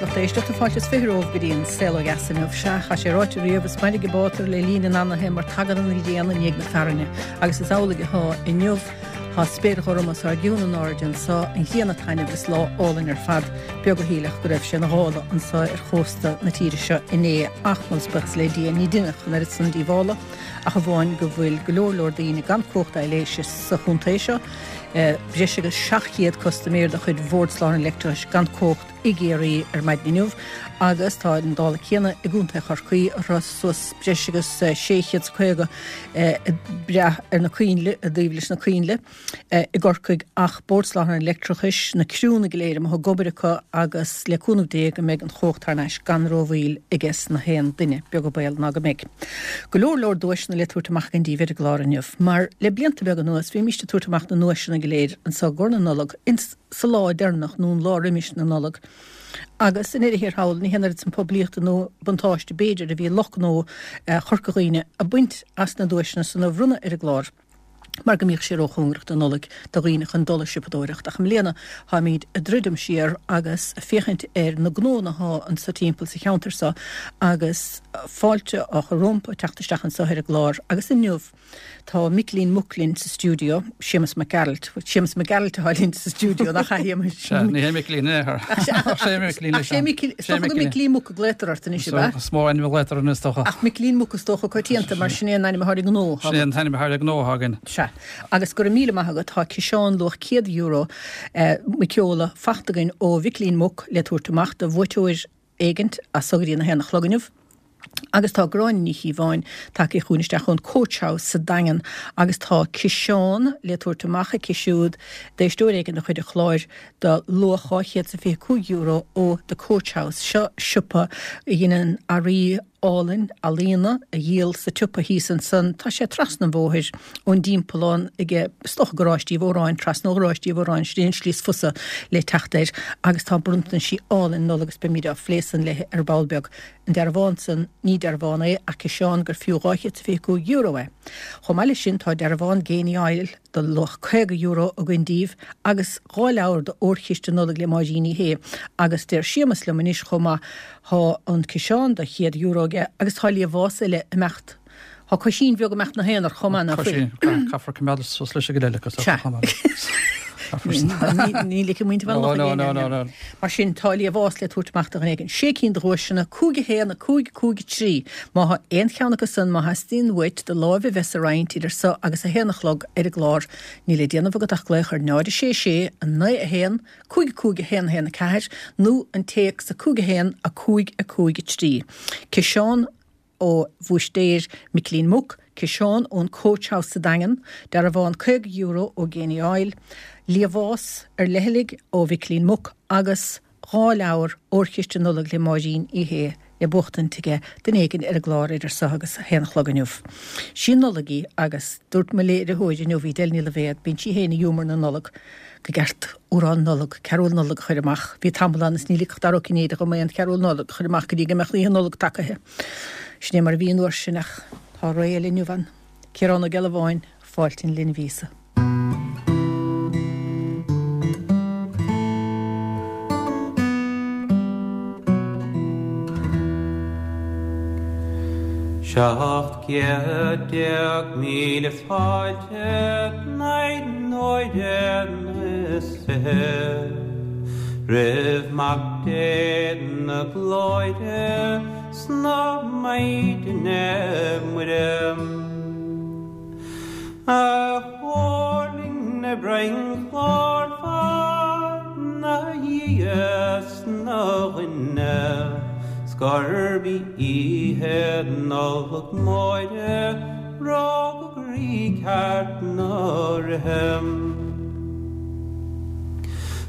Lucht éisteachta, fáilte is 20 romhaibh go dtí an Saol Ó Dheas inniu. Sea, tá sé ráite riamh, is mairg an bátar le linn an anaithe mar tagann an ghrian i ndiaidh na fearthainne. Agus is amhlaidh atá inniu. Tá spéir ghorm os ár gcionn in airde anso, an ghrian ag taitneamh is lá álainn ar fad. Beag a shílfeadh go raibh sé ina ghála anso ar chósta na tíre seo inné ach, moladh is buíochas le Dia, ní deineadh an oiread san díobhála ach amháin go bhfuil go leor leor daoine gan cumhacht aibhléise sa chontae seo, breis agus 700 custaiméir de chuid Bhord Soláthair an Leictreachais gan cumhacht i gCiarraí ar maidin inniu agus tá an dála céanna i gContae Chorcaí a raibh suas breis agus 650 ag brath ar na coinnle, i dtaobh leis na coinnle i gCorcaigh ach Bord Soláthair an Leictreachais, na criúnna go léir amuigh ag obair acu agus le cúnamh Dé go mbeidh an chumhacht thar n-ais gan rómhoill aiges na haon duine, beag an baol ná go mbeidh. Go leor leor duaiseanna le tabhairt amach againn daoibh ar an gclár inniu. Mar le blianta beaga anuas bhímíst ag tabhairt amach na nduaiseanna go léir anso i gcomhair na Nollag ins sa lá deireanach nó an lá roimis na Nollag. Agus i ndeireadh thiar thall, ní haon oiread san poiblíochta nó buntáiste b'fhéidir a bhí lucht gnó Chorca Dhuibhne a baint as na duaiseanna san a bhronnadh ar an gclár mar go mbíodh sé róchóngarach don Nollaig do dhaoine chun dul ag siopadóireacht. Ach i mbliana táimíd ag druidim siar agus ag féachaint ar na gnóanna athá anso timpeall sa cheantar so agus fáilte á chur rompu teacht isteach anso ar an gclár agus inniu Tá Micilín Muc linn sa stiúideo, Séamus Mac Gearailt. Séamus Mac Gearailt atá linn sa stiúideo, nach ea, Shéamais? Sea, ní hé Micilín é, ach sé Micilín é. Ach sé Micilín, is dócha gur Micilín Muc a glaotar ort anois, ab ea? Is mó ainm a ghlaotar anois, is dócha. Ach Micilín Muc is dócha coitianta, mar sin é an ainm atá ar an ngnó. Sin é an t-ainm atá ar an ngnó atá againn. Sea. Agus go raibh míle maith agat, tá ciseán luach €100 muiceola fachta againn ó Mhicilín Muc le tabhairt amach do bhuaiteoir éigint as so go dtí an 1 a chlog inniu. Agus tá Gráinne Ní Chíobháin tagtha chugainn isteach ón Coach House sa Daingean agus tá ciseán le tabhairt amach aici siúd d'éisteoir éigin de chuid an chláir de luach €225 ó The Coach House. Seo siopa a dheineann earraí álainn ealaíona a dhíol sa tsiopa thíos ansan. Tá sé trasna an bhóthair ón dTimpeallán ag, is dócha, Garáiste Uí Mhóráin, trasna ó Gharáiste Uí Mhóráin, sin é an slí is fusa le teacht air agus tá bronntaisí álainn Nollag agus beimid á phlé san léi ar ball beag. An dearbhán san, ní dearbhán é ach ciseán gur fiú €225 é. Chomh maith leis sin tá dearbhán Genie Oil de luach €50 againn daoibh agus 2 leabhar de Órchiste Nollag le Máirín Uí Shé agus deir Séamus liom anois chomh maith thá an ciseán de €100 aige agus tá liamhás eile ag imeacht Tá coisín bheag ag imeacht 'na haonar chomh maith, nach bhfuil? Coisín, caithfear coimeád suas leis an gcuid eile acu chomh maith. Ní ligfidh muintir Bhaile Locha No, no, no, no. Mar sin, tá liamhás le tabhairt amach do dhuine éigin. Sé cinn de dhuaiseanna, 5 1, 5 5 3. Má thá aon cheann acu san, má theastaíonn uait do láimh a bheith sa roinnt idir so agus a haon a chlog ar an gclár, níl le déanamh agat ach glaoch ar 0 6 6 9 1 5 5 1 1 4 nó an téacs 5 1 5 5 3. Ciseán ó Bhúistéir Micilín Muc, ciseán ón Coach House sa Daingean, dearbhán €50 ó Genie Oil, liamhás ar leithligh ó Mhicilín Muc agus 2 leabhar Órchiste Nollag le Máirín Uí Shé le buachtaint aige duine éigin ar an gclár idir so agus a haon a chlog inniu. Sí an Nollaig í agus dúirt mo léiritheoir inniu, Edel Ní Loibhéad, bíonn sí féin i ghiúmar na Nollag, go gceart amhrán Nollag, cearúl Nollag a chur amach. Bhí tamall ann is ní ligfeadh Dara Ó Cinnéide dhom aon chearúl Nollag a chur amach go dtí go mbeadh Oíche Nollag tagaithe. Sin é mar a bhí an uair sin ach tá ré eile inniu ann. Ciarán Ó Gealbháin, Fáilte an Linbh Íosa. 17,000 fáilte naoi n-uaire is 20 roimh Mac Dé na Glóire 's na Maighdine Muire. A thuirling 'na broinn ghlórmhar 'na Dhia 's 'na dhuine 's gurb í oíche Nollag Mhóire Rugadh Rí ceart na Ríthe.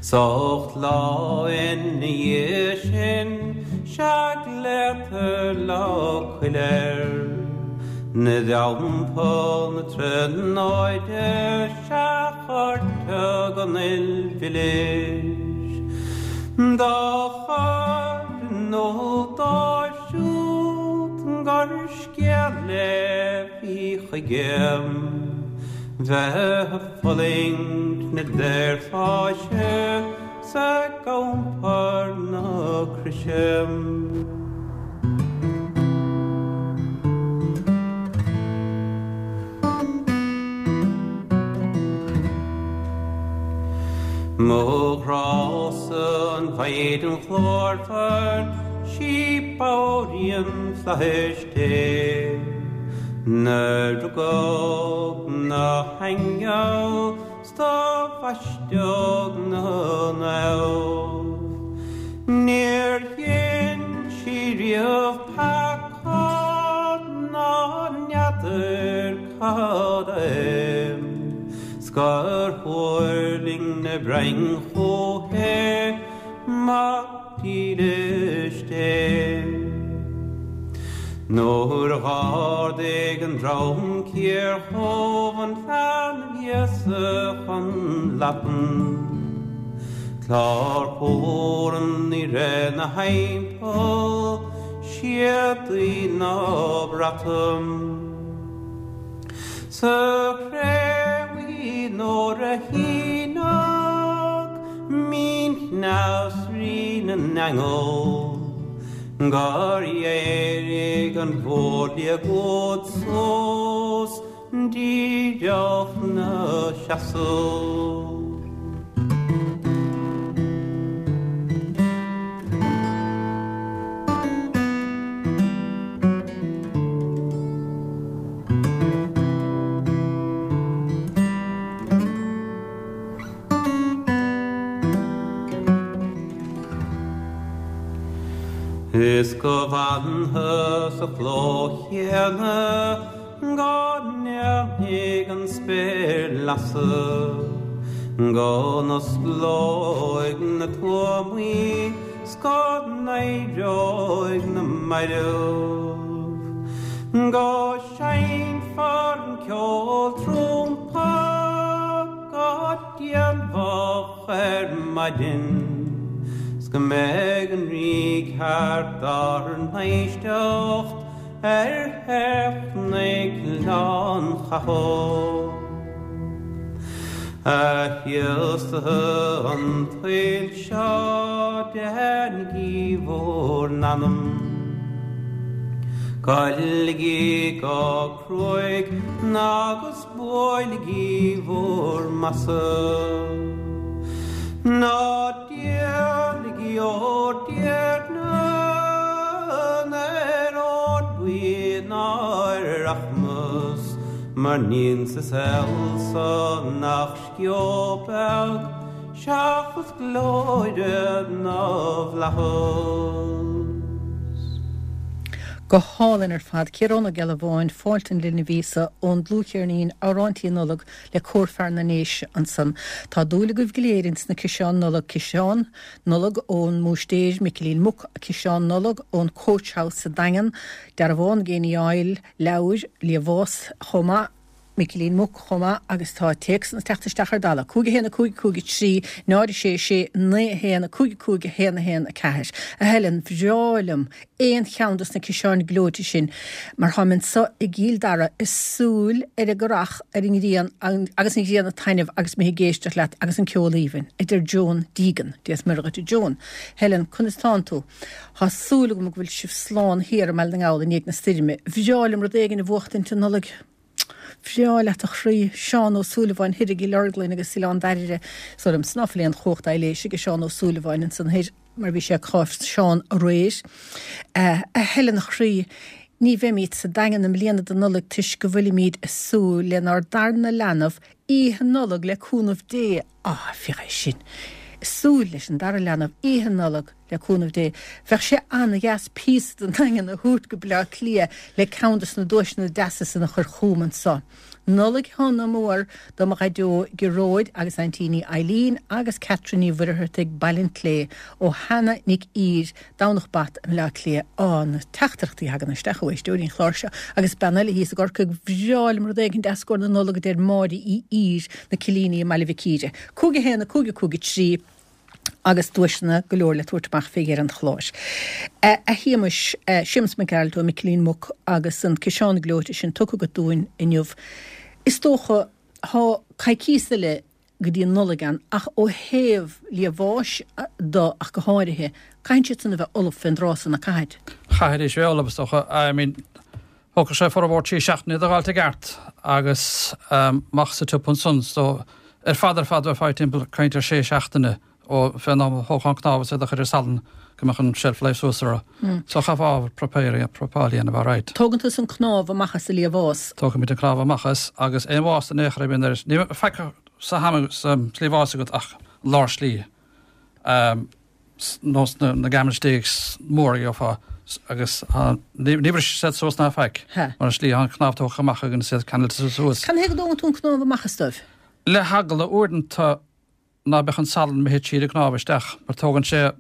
'S 8 lá ina dhiaidh sin 'sea glaotar Lá Coille air. 'Na dTeampall na Tríonóide 'sea cuirtear an fhuil mhilis dá chur in iúl dóibh siúd gur Scéal é bhí chuige bheith ag fulaingt na daorpháise. 'S ag iompar na croise. Mo ghrása an Mhaighdean ghlórmhar, 'sí banríon flaithis Dé, 'nar rugadh 'na haingeal 's do bhaisteadh 'na naomh. Níor dhein sí riamh peaca ná n'fheadar cad é, 's gur thuirling na broinn chúithi, Mac dílis Dé. Nuair dh'ardaigh an dream ciar dhubh an leanbh Íosa chun leapan, Clár cúram ní raibh 'na thimpeall, séadaí ná brataim. Sa chré bhuí nuair a shíneadh mín-chneas Rí na nAingeal, gur éirigh an mhórliathróid suas díreach 'na seasamh. Is go bhfanfaidh sa chló chéanna go ndéanfaidh an spéir lasadh, go n-osclóidh na tuamaí 's go n-éireoidh na mairbh, go seinnfear an ceol trumpa go déanmhach ar maidin 's go mbeidh an rí ceart dár n-éisteacht ar theith Ghleann Chathail. A Chríostaithe an tsaoil seo, déanaigí bhur n-anam. Goiligí go cruaidh agus buailigí bhur mbasa. Ná díolaigí bhur dTiarna ar ór buí ná ar rachmas, mar níl sa saol so ach sceo beag seachas glóire na bhflaitheas. Go hálainn ar fad. Ciarán Ó Gealbháin, Fáilte an Linbh Íosa, ón dlúthcheirnín Amhráintí Nollag le Cór Fear na nDéise ansan. Tá dúil agaibh go léir ins na ciseáin Nollag, ciseán Nollag ón mBúistéir, Micilín Muc, ciseán Nollag ón Coach House sa Daingean, dearbhán ag Ní Fhoighil, leabhair, liamhás chomh maith, Micilín Muc chomh maith agus tá téacsanna ag teacht isteach ar dalladh. 5 1 5 5 3 0 6 6 9 1 5 5 1 1 4. A Helen, bhreá liom aon cheann dos na ciseáin gleoite sin mar tháim anso i gCill Dara ag súil ar an gcurach ar an ngrian agus an ghrian ag taitneamh agus mé ag éisteacht leat agus an ceol aoibhinn, a deir Joan Deegan. Dia is Muire dhuit a Joan. Helen, conas tánn tú? Thá súil agam go bhfuil sibh slán thiar i mBaile na nGall i ndiaidh na stoirme. Bhreá liom rud éigin a bhuachtaint an Nollaig. Bhreá leat a chroí. Seán Ó Súilleabháin thoir i gCill Orglan agus Oileán Dairbhre. Is dóigh liomsa ná fuil aon chumhacht aidhléise ag Seán Ó Súilleabháin ansan thoir mar bhí sé ag cásamh Seán aréir. A Helen a chroí, ní bheimíd sa Daingean i mbliana don Nollaig toisc go bhfuilimíd ag súil lenár darna leanbh Oíche Nollag le cúnamh Dé. Á, féach é sin! Ag súil leis an dara leanbh Oíche Nollag le cúnamh Dé. Bheadh sé an-dheas píosa den Daingean a thabhairt go Bleá Cliath le ceann dos na duaiseanna deasa san a chur chugam anso. Nollaig shona mhór do mo dhaideo Gearóid agus aintíní Eileen agus Catherine Ní Mhuircheartaigh, Baile an tSlé, ó Hannah Nic Ír, Domhnach Bat i mBleá Cliath. Á, na teachtaireachtaí a thagann isteach ó éisteoirí an chláir seo. Agus bean eile thíos i gCorcaigh, bhreá liom rud éigin deas i gcomhair na Nollag a deir Máire Uí Ír, na Cillíní i mBaile Mhic Íre. 5 1 5 5 3 agus duaiseanna go leor le tabhairt amach fé dheireadh an chláir. A Shéamais, Séamus Mac Gearailt ó Micilín Muc agus an ciseán gleoite sin tugtha agat dúinn inniu. Is dócha, thá coicíos eile. go dtí an Nollaig ann ach ó thaobh liamháis de ach go háirithe, caitheann siad san a bheith ullamh fén dtráth san, nach gcaithfid? Chaithfidís a bheith ullamh is dócha. I mean, thógfadh sé formhór trí seachtaine iad a dh'fháilt i gceart agus amach sa tsiopa ansan so ar fad ar fad bheifeá timpeall caint ar sé seachtaine ó fén am a thógfá an cnámh is iad a chur ar salann go mbeadh an shelf life suas orthu. So chaithfeá ábhar prepare prepáil a dhéanamh alright. Tógann tusa an cnámh amach as an liamhás. Tógaimid an cnámh amach as agus aon mhásta in aon chor a bhíonn air, ní bheidh faic sa ham sa liamhás agat ach lár slí. Nós na gammon steaks mór a gheofá agus ní bhrisfidh siad suas ná faic mar an slí tá an cnámh tógtha amach againn is iad ceangailte suas. Cad chuige a dtógann tú an cnámh amach as dóibh? Le heagla uaireanta ná beadh an salann imithe tríd an gcnámh isteach mar tógann sé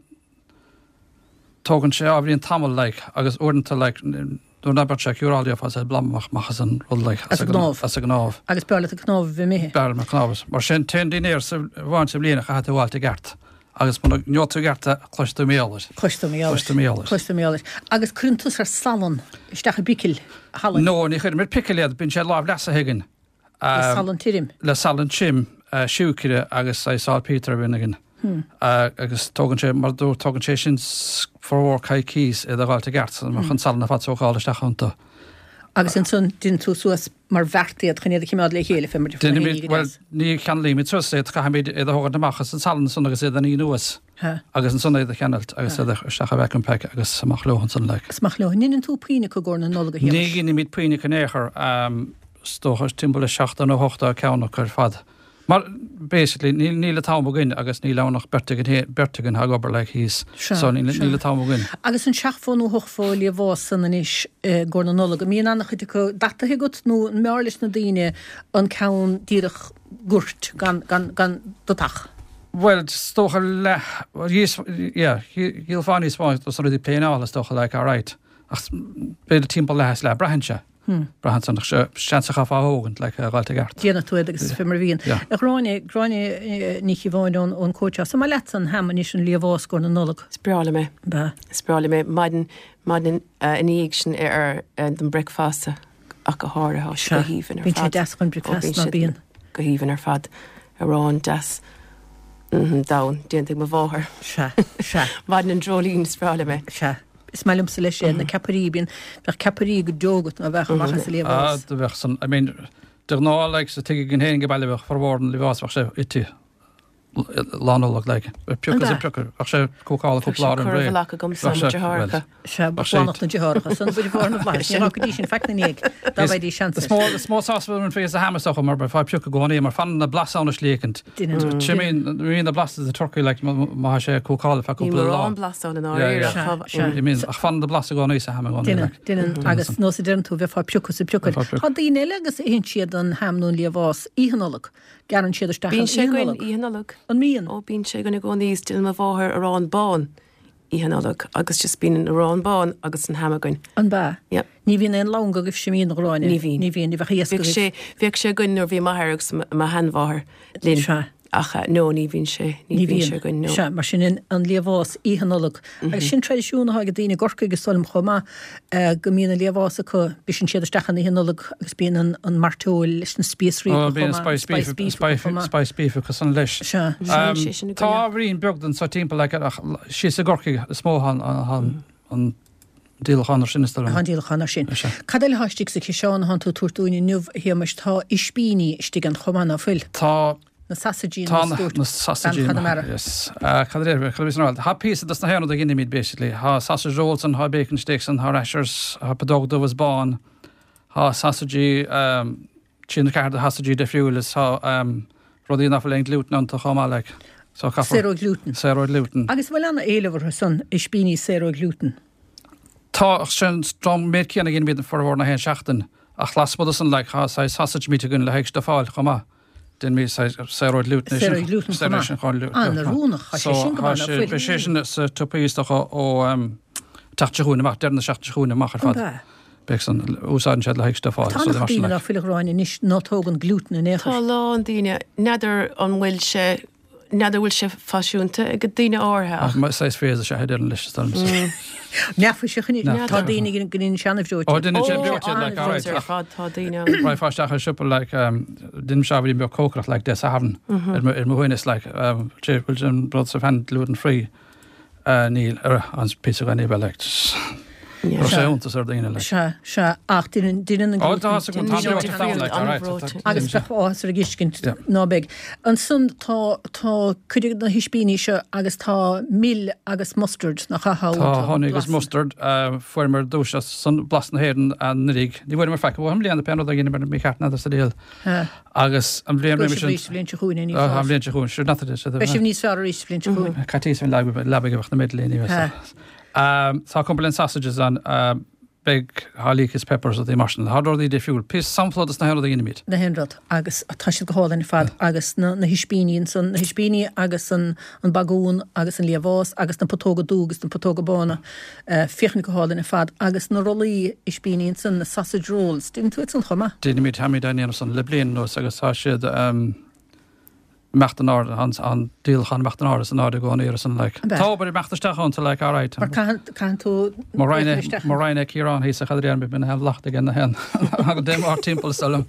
tógann sé ábhairín tamall like agus uaireanta like nuair ná beadh sé ciúráilte gheofá saghas bladhm amach amach as an rud like as an gcnámh as an gcnámh. Agus b'fhearr leat an cnámh a bheith imithe. B'fhearr liom an cnámh is mar sin t-aon dinnéar sa amháin sa bhliain a chaithfidh tú a fháilt i gceart agus muna ngeobhaidh tú i gceart é cloisfidh tú mar gheall air. Cloisfidh tú mar gheall air. Cloisfidh tú mar gheall air. Cloisfidh tú mar gheall air. Agus cuireann tusa ar salann isteach i bpicil shalainn. No ní chuirim ar picil iad bíonn sé lámh leasaithe againn. Le salann tirim. Le salann tirim, siúicre agus saghas saltpeter a bhíonn againn. Agus tógann sé, mar a dúirt, tógann sé sin formhór coicís iad a dh'fháilt i gceart, mbeadh an salann ar fad sócáilte isteach iontu. Agus ansan déanann tú suas mar bheart iad chun iad a chimeád le chéile fé mar a Déanaimid, bhuel, ní cheanglaímid suas iad, caithfimid iad a thógaint amach as an salann ansan agus iad a ní anuas. Agus ansan iad a cheangailt agus iad a isteach i vacuum pack agus amach leo ansan like. Is amach leo. An ndeineann tú puinn acu i gcomhair na Nollag a Shéamais? Ní dheinimid puinn acu in aon chor. Is dócha timpeall le 70 nó 80 ceann acu ar fad. Mar basically níl níl an t-am againn agus níl ann ach beirt againn fhéin beirt againn atá ag obair like thíos. Sea, So níl níl an t-am againn. Agus an seachtó nó ochtó liamhás san anois i gcomhair na Nollag, an mbíonn an-chuid acu dataithe agat nó an mb'fhearr leis na daoine an ceann díreach goirt gan gan gan datach? Bhuel, is dócha leath, yeah, dhíolfá níos mó dos na rudaí pléineála is dócha, like, alright. Ach b'fhéidir timpeall leath is leath, braitheann sé. Braitheann sé, ach seans a chaithfeá a thógaint, like, a dh'fháilt i gceart. Déanfaidh tú iad agus fé mar a bhíonn. Yeah. A Ghráinne, Gráinne Ní Chíobháin ón ón Coach House, an maith leatsa an ham anois an liamhás i gcomhair na Nollag? Is breá liom é. Ab ea? Is breá liom é. Maidin, maidin ina dhiaidh sin ar don bricfeasta. ach go háirithe, tá sé go haoibhinn ar fad. Bíonn sé deas chun bricfeasta, ná bíonn? Go haoibhinn ar fad. Arán deas donn, déanta ag mo mháthair. Sea, sea. Maidin an dreoilín, is breá liom é. Sea. Is maith liomsa leis é, na ceapairí, bíonn, bheadh ceapairí go deo agat ná bheadh amach as an liamhás. Ah, do bheadh san, I mean, de ghnáth, like, sa tigh againn féin ag baile bheadh formhór an liamhás, bheadh sé ite. Lá Nollag like. Piocadh is piocadh. Bheadh sé cócáilte cúpla lá roimh ré. Bheadh sé agamsa mo deartháireacha. Sea, ba shlánach na deartháireacha. San buid mhór na bhflaitheas. Ní raibh go dtí sin faic na ndiaidh dá bhfaighidís seans air. Is mó sásamh a bhíonn faoi sa ham is dócha mar beifeá ag piocadh i gcónaí mar fanann na blas ann is léicint. Imíonn na blas sa turcaí like má tá sé cócáilte feadh cúpla lá. Ní mórán blas ann i ndáiríre. Imíonn ach fanann na blas i gcónaí sa ham i gcónaí like. Deineann, agus nós a deireann tú bheifeá ag piocadh is ag piocadh. Tá daoine eile agus itheann siad an ham nó an liamhás Oíche Nollag. Gearrann siad isteach an Bíonn sé Oíche againn Nollag. Oíche Nollag. An mbíonn? Ó, bíonn sé againn i gcónaí is déanann mo mháthair arán bán Oíche Nollag agus just bíonn an arán bán agus an ham againn. An bea? Yep. Ní bhíonn aon lann agaibhse, an mbíonn, a Ghráinne? Ní bhíonn. Ní bhíonn, ní bheadh a fhios Bhíodh agaibh. sé, bhíodh sé againn nuair bhí m'athair agus mo sheanmháthair linn. Sea. Ach no, ní bhíonn sé, ní bhíonn sé againn, no. Sea, mar sin an liamhás Oíche Nollag. Agus sin traidisiún atá ag daoine i gCorcaigh is dóigh liom chomh maith, go mbíonn an liamhás acu, briseann siad isteach an Oíche Nollag agus bíonn an an mairteoil leis na spíosraí acu chomh maith, spice beef acu chomh maith. Spice beef acu san leis. Sea. Tá ábhairín beag den seo timpeall ach síos i gCorcaigh is mó atá an díolachán ar sin, is dóigh liom. Tá an díolachán ar sin. Cad eile atá istigh sa chiseán atánn tú ag tabhairt dúinn inniu, a Shéamais? Tá ispíní istigh ann chomh maith, ná fuil? Tá. Na sasaidí, Tá na dúirt na sasaidí. Bean Chonamara. Yes. Cad a déarfaí? Cad a bhí san áireamh? Tá píosa dos na haon rud a dheinimid, basically. Tá sausage rolls ann, tá bacon steaks ann, tá rashers, tá putóg dubh is bán, tá sasaidí, trí nó ceathair de shasaidí difriúil is tá rudaí nach bhfuil aon gluten iontu chomh maith like. So caithfear. Saor ó ghlúten. Saor ó ghlúten. Agus an bhfuil ana-éileamh orthu san, ispíní saor ó ghlúten? Tá, ach sin an méid céanna a dheinimid formhór na haon seachtain. Ach lasmuigh de san like tá saghas sausage meat againn le haghaidh stufáil chomh maith. Déanaimid saghas saor ó ghlúten é sin. Saor ó ghlúten chomh maith. An-oiriúnach, tá sé sin go maith ná fuil. Beidh sé sin sa tsiopa is dócha ó teacht seo chugainn amach, deireadh na seachtaine seo chugainn amach ar fad. An ea? Beidh san, úsáideann siad le haghaidh stufáil. Tá an-chuid daoine ná fuil a Ghráinne anois ná tógann glúten in aon chor. Tá a lán daoine, n'fheadar an bhfuil sé. N'fheadar bhfuil sé faisiúnta ag daoine áirithe ach. Ach saghas phhrase is ea é déarfainn leis is dóigh liomsa. Neafaiseach anois. Tá daoine go ndeineann sé an-bhreoite. Ó deineann sé breoite like alright ar fad tá daoine ann. Raghfá isteach ar siopa like deinim ábhairín beag cócaireacht like Dé Sathairn ar mo shuaimhneas like bhfuil an rud sa phan gluten free. Níl, ar an píosa againn é like Raibh sé iontas ar daoine like. Sea, sea, ach deineann, deineann an Ó, tá a fhios agam, tá an breoite ann like, alright. Agus bheadh áthas ar an gtuiscint ná beidh. Ansan tá, tá cuid de na hispíní seo agus tá mil agus mustard, nach ea? Tá honey agus mustard, fuaireamar duais as san Blas na hÉireann anuraidh. Ní bhfuaireamar faic uathu i mbliana pé rud a dheineamar mícheart n'fheadar sa diabhal. Agus an bhliain roimhe sin. Beidh sibh arís an bhliain seo chugainn, ní fáis. An bhliain seo chugainn, sure not that it. Beidh sibh níos fearr arís an bhliain seo chugainn. Coicís an leabaidh a bheadh na Midlíní. Tá Cumberland sausages ann, beidh tá leeks peppers rudaí mar sin. Tá rudaí difriúil. Píosa sampla dos na haon rud a dheinimid. Na haon rud. Agus tá siad go hálainn ar fad. Agus na hispíní ansan, na hispíní agus an bagún agus an liamhás agus na putóga dubha agus na putóga bána. Féachaint go hálainn ar fad. Agus na rollaí ispíní ansan, na sausage rolls, déanann tú iad san chomh maith? Déanaimid, táimid á ndéanamh san le bliain anuas agus tá siad imeacht in airde, an díolachán imeacht in airde is in airde i gcónaí ar san like. An b'ea? Tá obair imeacht isteach iontu like, alright. Mar caitheann, caitheann tú Mo Roinn féachaint isteach mo Roinn é Ciarán thíos a chadréan bíonn na haon bhlacht aige na haon agus déan ár timpeall is dóigh liom.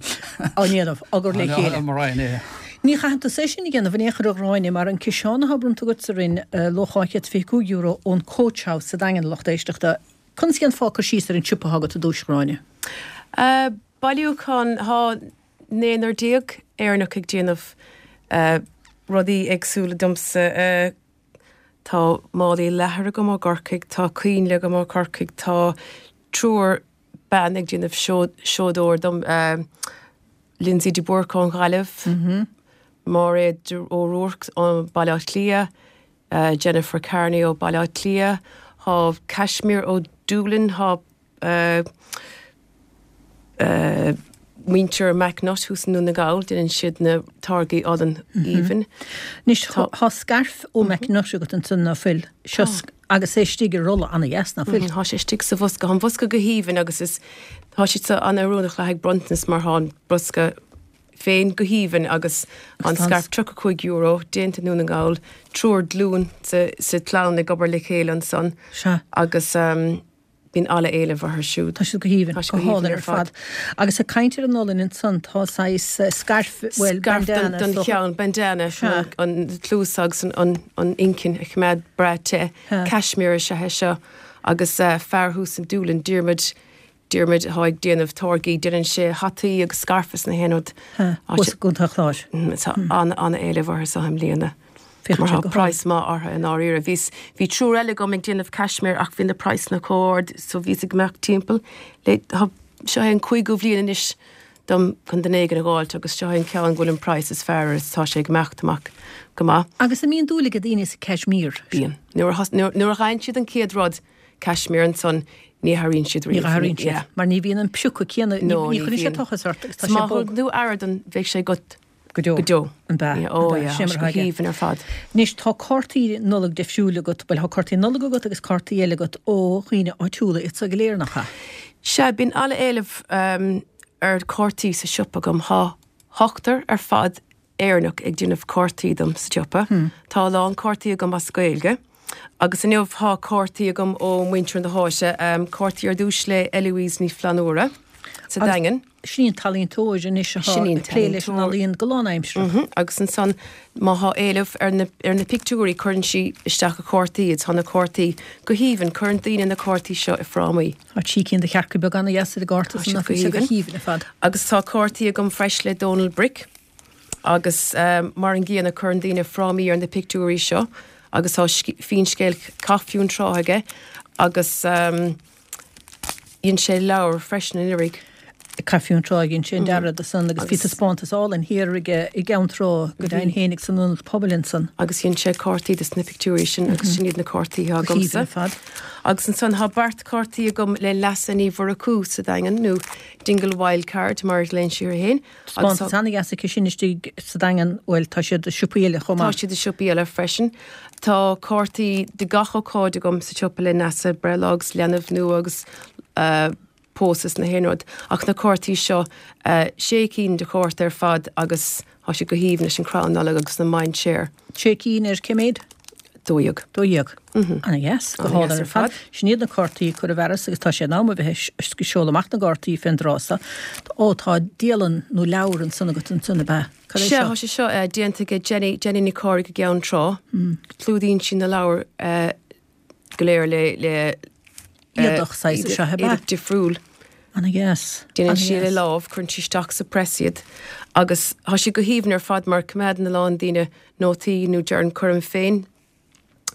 Á ndéanamh, á gcur le chéile. Mo Roinn é. Ní chaitheann tusa é sin a dhéanamh in aon chor a Ghráinne mar an ciseán atá bronnta agat sa Rinn, luach €225 ón Coach House sa Daingean, a lucht éisteachta. Conas a dhéanfá cur síos ar an tsiopa atá agat i dtús, a Ghráinne? Bailiúchán, tá naonúr Éireannach ag déanamh rudaí éagsúla domsa. Tá málaí leathair agam ó gCorcaigh, tá coinnle agam ó Chorcaigh, tá triúr bean ag déanamh seodóir dom, Lindsay de Búrca ón Ghaillimh, Máiréad O'Rourke ó Baile Átha Cliath, Jennifer Carney ó Baile Átha Cliath, thá Cashmere ó Doolin, thá muintir McNutt thuas i nDún na nGall, déanann siad na táirgí olann aoibhinn. Anois thá scairf ó McNutt agat ansan ná fuil? Seo agus é istigh i rolla ana-dheas, ná fuil? Thá sé istigh sa bhosca. Thá an bosca go haoibhinn agus is, thá siad so an-oiriúnach le haghaidh bronntanas mar thá an bosca féin go haoibhinn agus an scairf €35, déanta i nDún na nGall, triúr glún sa chlann ag obair le chéile ansan Sea. agus bíonn an-éileamh orthu siúd. Tá siad go haoibhinn, Tá siad go go haoibhinn hálainn ar ar fad. Agus ag caint ar an olainn ansan, tá saghas scairf, bhuel, Scairf bandana don is dócha. cheann, bandana, Sea. chun an cluas agus an an inchinn a choimeád breá te. Sea. Cashmere is ea é seo agus fear thuas in Doolin, Diarmuid, Diarmuid atá ag déanamh táirgí, déanann sé hataí agus scairf is na haon rud. Sea, thuas i gContae an Chláir. Tá an-éileamh orthu seo i mbliana. Féachann Mar siad tá go hálainn. praghas maith orthu i ndáiríre. Bhíos, bhí triúr eile agam ag déanamh cashmere ach bhí na praghsanna chomh ard so bhíos ag imeacht timpeall le, tá, seo é an cúigiú bhliain anois dom chun duine éigin a dh'fháilt agus seo é an ceann go bhfuil an praghas is fearr air is tá sé ag imeacht amach go maith. Agus an mbíonn dúil ag daoine sa cashmere? Bíonn. Nuair a thos, nuair, nuair a dh'fhaigheann siad an chéad rud cashmere ansan ní athraíonn siad Ní riamh. athraíonn siad. Yeah. Mar ní bhíonn an piocadh céanna, ní, No, ní ní chuireann sé bhíonn. tochas ort agus tá 'S sé má bog. thugann tú aire don, bheidh sé agat Go deo. Go deo. An b'ea? Yeah, oh An b'ea? yeah, Sin tá mar sé go atá aige. haoibhinn ar fad. Anois, tá cártaí Nollag difriúil agat, bhuel, tá cártaí Nollag agat agus cártaí eile agat ó dhaoine áitiúla, iad so go léir, nach ea? Sea, bíonn an-éileamh ar chártaí sa siopa agam. Tá ochtar ar fad Éireannach ag déanamh cártaí dom sa tsiopa. Tá a lán cártaí agam as Gaeilge. Agus inniu tá cártaí agam ó muintir na háite, cártaí ar dtús le Eloise Ní Flannúra sa Daingean. Sin í an t-ealaíontóir anois atá Sin í an ag plé leis an t-ealaíontóir. ealaíon go lánaimsearach. Agus ansan má thá éileamh ar na ar na pictiúirí cuireann sí isteach a cártaí iad. Tá na cártaí go haoibhinn. Cuireann daoine na cártaí seo i frámaí. Tá trí cinn de chearca beaga ana-dheas ar an gcárta Tá san siad nach go bhfuil sé go haoibhinn. haoibhinn ar fad. Agus tá cártaí agam freisin le Donal Brick. Agus mar an gcéanna cuireann daoine frámaí ar na pictiúirí seo agus tá finscéal Chath Fionntrá aige agus dhein sé leabhar freisin anuraidh. Cath Fionntrá, dhein sé an dearadh do san agus bhí taispeántas álainn thiar aige i gCeann Trá go deimhin féinig san ionad pobail ansan. Agus dhein sé cártaí dos na pictiúirí sin agus sin iad na cártaí atá agamsa. Go haoibhinn ar fad. Agus ansan tá beart cártaí agam le Neasa Ní Mhurchú sa Daingean nó Dingle Wild Card mar a ghlaonn sí uirthi féin. Taispeántas ana-dheas aici sin istigh sa Daingean, bhuel, tá siad i siopaí eile chomh Tá maith. siad i siopaí eile freisin. Tá cártaí do gach ócáid agam sa tsiopa le Neasa, breithlá agus leanbh nua agus. Pósadh is na haon rud. Ach na cártaí seo, sé cinn de chárta ar fad agus tá siad go haoibhinn leis an crann Nollag agus na mainséar. Sé cinn ar cé méid? 12. 12. Ana dheas. Go hálainn ar fad. Sin iad na cártaí ag cur i bhfearas agus tá sé in am a bheith ag seoladh amach na gcártaí fén dtráth seo. Ó, tá dialann nó leabhar ansan agat ansan, ab ea? Cad é seo? Sea, tá sé seo déanta ag Jenny, Jenny Nic Cárthaigh i gCeann Trá. Clúdaíonn sí na leabhair go léir le le éadach saghas is ea, ab ea? Éadach difriúil. Ana dheas. Déanann sí le lámh, cuireann sí isteach sa press iad agus tá siad go haoibhinn ar fad mar coimeádann a lán daoine nótaí nó deireann cuirim féin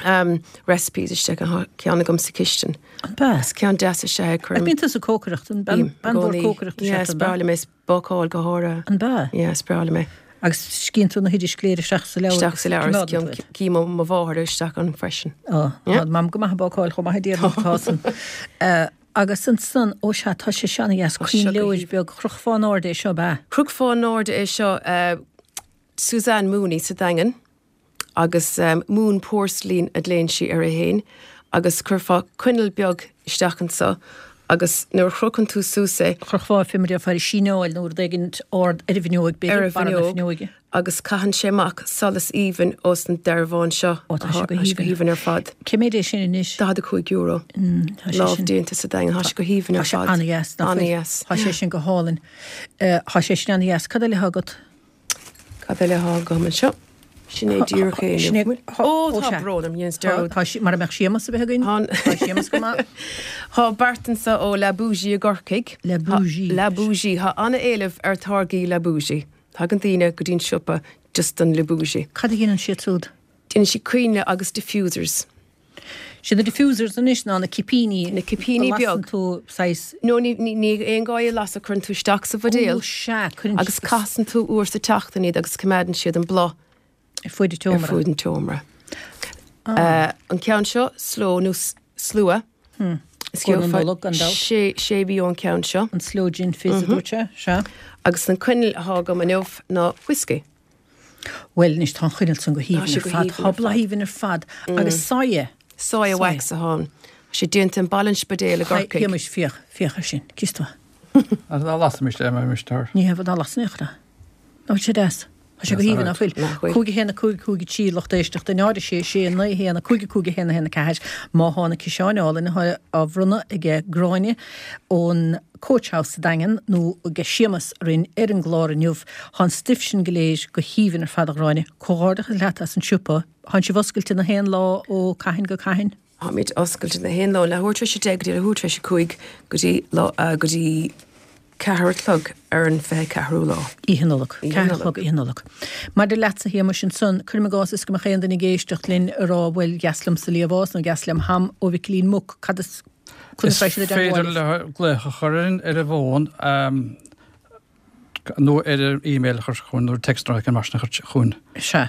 um, recipes isteach tá ceann agam sa chistin. An bea? Is ceann deas is ea é cuirim. Bíonn tusa ag cócaireacht, an bean mhór cócaireachta is ea tú, an bea? Is breá liom é, is bácáil go háirithe. An bea? Yeah, is breá liom é. Agus scríonn tú na hoidis go léir isteach sa leabhar? Isteach sa leabhar, is ceann cím mo mháthair isteach ann freisin. Ó, tá Mam go maith ag bácáil chomh maith a déarfainn, tá san. Agus ansan, ó sea, tá sé seo ana-dheas, coinnleoir beag, chrochfá in airde é seo, ab ea? Chrochfá in airde é seo, Suzanne Mooney sa Daingean. agus moon porcelain a ghlaonn sí air féin agus chuirfeá coinneal beag isteach anso agus nuair a chrochann tú suas é. Chrochfá fé mar a déarfá ar shíneáil nó rud éigin ard ar an bhfuinneoig, b'fhéidir, ar an barra na bhfuinneog fuinneoige. agus caitheann sé amach solas aoibhinn ós an dearbhán seo. Ó, tá sé go Tá sé go haoibhinn. haoibhinn ar fad. Cé méid é sin anois? €45. Tá sé Lámh sin. déanta sa Daingean. Tá sé go haoibhinn Tá ar sé fad. an-dheas, nach bhfuil? An-dheas. Tá sé sin go hálainn. Tá sé sin an-dheas. Cad eile atá agat? Cad eile atá agam anseo? Sin é díreach é Sin é. inniu. Ó, tá brón orm, dheineas dearúd. Tá, mara mbeadh Séamus a bheith againn. Tá Séamus go maith. Tá beart anseo ó La Bougie i gCorcaigh. La Bougie. La Bougie. Tá an-éileamh ar táirgí La Bougie. Tagann daoine go dtí'n siopa just don La Bougie. Cad a dhéanann siad siúd? Déanann siad coinnle agus diffusers. Siad na diffusers anois ná na cipíní. Na cipíní a beag. lasann tú saghas. No ní ní aon gá é a lasadh, cuireann tú isteach sa bhuidéal. Ó sea, cuireann. Agus casann tú uair sa tseachtain iad agus coimeádann siad an bláth. Ar fuaid an tseomra. Ar fuaid an tseomra. An ceann seo, slow nó slua. Is Scór na Nollag, gan dabht. Sé sé mhí ón ceann seo. An sloe gin fizz a dúirt sé, sea. Agus an coinneal atá agam inniu ná whiskey. Bhuel, anois tá an choinneal san go Tá sé haoibhinn go ar fad. haoibhinn Tá ar bláth fad. aoibhinn ar fad. Agus soya. Soya wax atá ann. Tá sé déanta i mBaile an Spidéil i Hi, gCorcaigh. Shéamais, féach, féach air sin. Cíos tú? Ach ná lasaimis é, mar Mr. Ní hea, ná las in aon chor é. Nach bhfuil sé deas? Tá sé go haoibhinn, nach bhfuil? Nach bhfuil. 5 1 5 5 3 lucht éisteachta 0 6 6 9 1 5 5 1 1 4 Má thá na ciseáin álainn atá á bhronnadh aige Gráinne ón Coach House sa Daingean nó aige Séamas orainn ar an gclár inniu. Thá an stuif sin go léir go haoibhinn ar fad a Ghráinne. Comhghairdeachas leat as an siopa. Thánn sibh oscailte na haon lá ó cathain go cathain? Táimid oscailte na haon lá, leathuair tar éis a deich go dtí leathuair tar éis a cúig go dtí lá, go dtí ceathair a chlog ar an 24ú lá. Oíche Nollag. Oíche Ceathair a Nollag. chlog Oíche Nollag. Maidir leatsa, a Shéamais, ansan, cuirim i gcás is go mbeadh aon duine ag éisteacht linn ag rá bhuel, dheas liomsa Liamhás nó dheas liom Ham ó Mhicilín Muc, cad is Is féidir leo glaoch a chur orainn ar an bhfón nó ar an email a chur chugainn nó text nó mar sin a chur chugainn. Sea.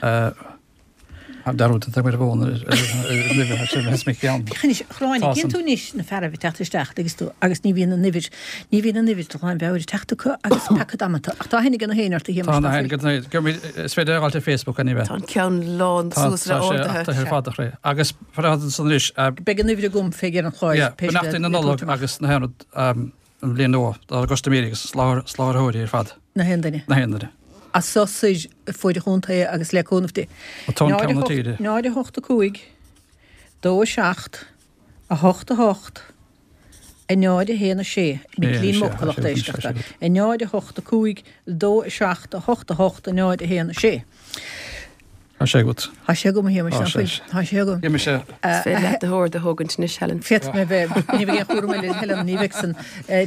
Dearúd atá ar an bhfón ar an uimhir sin is mé ceann. Féach anois, a Ghráinne, cíonn tú anois na fearaibh ag teacht isteach, dtuigeann tú, agus ní bhíonn an uimhir, ní bhíonn an uimhir de ghlanmheabhair ag teacht acu agus peaca damanta. Ach tá aithne ag na héinne ort, a Shéamais, Tá nach aithne bhfuil? ag na héinne. Is féidir a ghabháil ar Facebook anyway. Tá an ceann lán suas le Tá sé orduithe. ach tá sé ar fad a chré. Agus anois. Beidh an uimhir agam fé dheireadh an chláir, Yeah, pé scéal beannachtaí na é Nollag tabhairt amach. agus na haon rud an bhliain nua dár gcustaiméirí agus soláthróirí ar fad. Na haon duine. Na haon duine. As so soir fuaid an chontae agus le cúnamh Dé. Tá an ceann na tíre. 0 8 5 2 7 8 8 0 1 6 Micilín Muc, a lucht éisteachta. 0 8 5 2 7 8 8 0 1 6. Tá sé agat. Tá sé agam, a Shéamais, Tá nach sé. bhfuil? Tá sé agam. Gheobhaidh mise. Is féidir leat na horduithe a thógaint anois, Helen. Féadfaidh mé bheith, ní bheidh aon chúram eile ar Helen, ní bheidh san.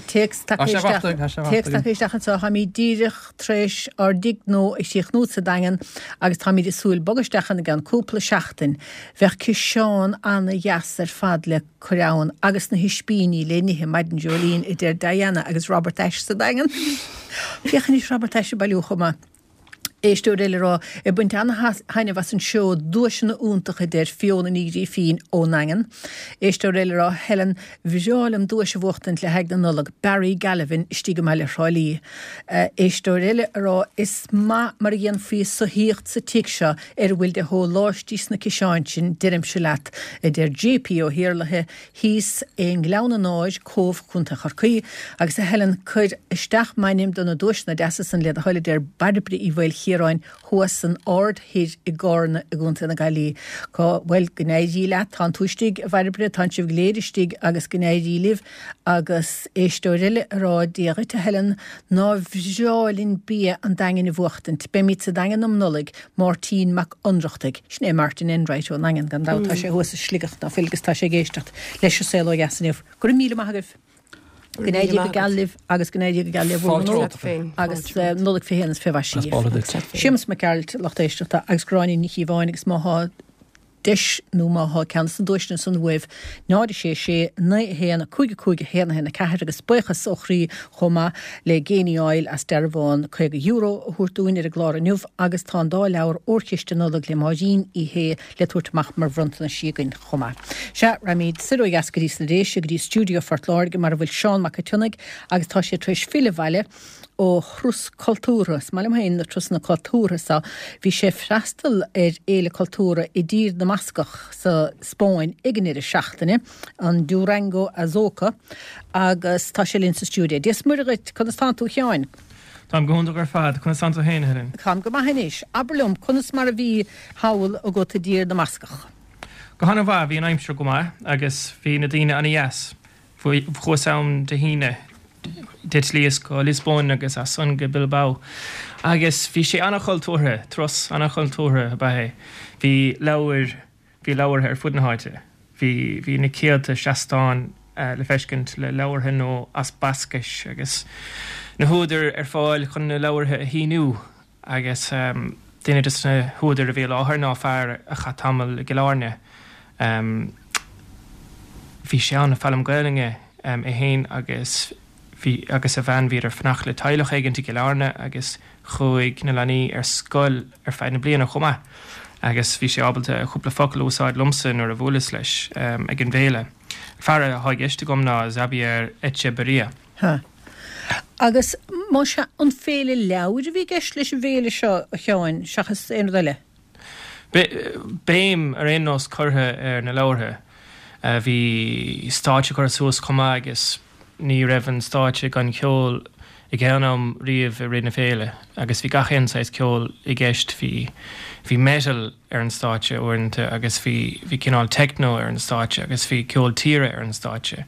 Téacs Tá tagtha sé isteach, fachta, tá sé fachta téacs agam. tagtha isteach anseo, táimid díreach tar éis ár dtigh nua a chríochnú sa Daingean agus táimid ag súil bogadh isteach ann i gceann cúpla seachtain. Bheadh ciseán ana-dheas ar fad le cur ann agus na hispíní le n-ithe maidin Jolene, a deir Diana agus Robert Ashe sa Daingean. Féach anois Robert Ashe ag bailiú chomh maith. Éisteoir eile ag rá, ag baint ana-thaitneamh as an seó, duaiseanna iontacha a deir Fiona Ní Ghrífín ón nDaingean. Éisteoir eile ag rá, Helen, bhreá liom duais a bhuachtaint le haghaidh na Nollag, Barry Galvin istigh i mbaile Thrá Lí. Éisteoir eile ag rá, is maith mar a dhéanfaí soithíocht sa tigh seo ar a bhfuil de shóláistí sna ciseáin sin, deirimse leat, a deir JP Ó hIarlaithe, thíos i nGleann an Áir, Cóbh, Co. Chorcaí, agus a Helen, cuir isteach m'ainm do na duaiseanna deasa san le do thoil a deir Bairbre Uí Mhaoilchiaráin thuas san Aird Thoir i gCárna i gContae na Gaillimhe. Cá, bhuel, go n-éirí leat, tánn tú istigh, a Bhairbre, tánn sibh go léir istigh agus go n-éirí libh agus éisteoir eile ag rá, Dia dhuit a Helen, nár bhreá linn bia an Daingin a bhuachtaint, beimid sa Daingean um Nollaig, Máirtín Mac Ionnrachtaigh. Sin é Martin Enright ón nDaingean, gan dabht. Tá sé thuas i Sligeach, ná fuil, agus tá sé ag éisteacht leis an Saol Ó Dheas inniu. Go raibh míle maith agaibh. Go n-éirí go geal libh agus go n-éirí go geal le bhur ngnó agus Nollaig fé shéan is fé mhaise dhaoibh. Séamus Mac Gearailt, lucht éisteachta, agus Gráinne Ní Chíobháin agus má thá deis nó má thá ceann des na duaiseanna san uaibh, 0 6 6 9 1 5 5 1 1 4 agus buíochas ó chroí chomh maith le Geaney Oil as dearbhán €50 a thabhairt dúinn ar an gclár inniu agus tá an dá leabhar Órchiste Nollag le Máirín Uí Shé le tabhairt amach mar bhronntanais againn chomh maith. Sea, raghaimid soir ó dheas go dtí sna Déise, go dtí stiúideo Phort Láirge mar a bhfuil Seán Mac a' tSionnaigh agus tá sé tar éis filleadh abhaile ó thuras cultúrtha. Is maith liom féin na turasanna cultúrtha so. Bhí sé ag freastal ar fhéile cultúrtha i dTír na mBascach sa Spáinn ag an ndeireadh seachtaine, an Durango Azoka, agus tá sé linn sa stiúideo. Dia 's Muire dhuit, conas tánn tú a Sheáin? Táim go hiontach ar fad. Conas tánn tú féin, a Helen? Táim go maith anois. Abair liom, conas mar a bhí thall agat i dTír na mBascach? Go han-mhaith, bhí an aimsir go maith agus bhí na daoine an-dheas. Chuas ann Dé hAoine, d'eitlíos go Liospóin agus as san go Bilbao agus bhí sé an-chultúrtha, turas an-chultúrtha ab ea é. Bhí leabhair, bhí leabhartha ar fud na háite. Bhí, bhí na céadta seastán le feiscint le leabhartha nó as Bascais agus na húdair ar fáil chun na leabhartha a shíniú. Agus duine de na húdair a bhí i láthair ná fear a chaith tamall i gCill Airne. Bhí sé ann ag foghlaim Gaelainne é féin agus bhí agus a bhean, bhíodar ag fanacht le teaghlach éigint i gCill Airne agus chuaigh na leanaí ar scoil ar feadh na bliana chomh maith agus bhí sé ábalta cúpla focal a úsáid liomsa nuair a bhuaileas leis ag an bhféile. Fear atá i gceist agam ná Xabier Etxeberria. Ha. Agus más ea, an féile leabhair a bhí i gceist leis an bhféile seo, a Sheáin, seachas aon rud eile? Béim ar aon nós curtha ar na leabhartha. Bhí stáitse curtha suas chomh maith agus ní raibh an stáitse gan cheol ag aon am riamh i rith na féile agus bhí gach aon saghas ceoil i gceist. Bhí bhí metal ar an stáitse uaireanta agus bhí bhí cineál techno ar an stáitse agus bhí ceol tíre ar an stáitse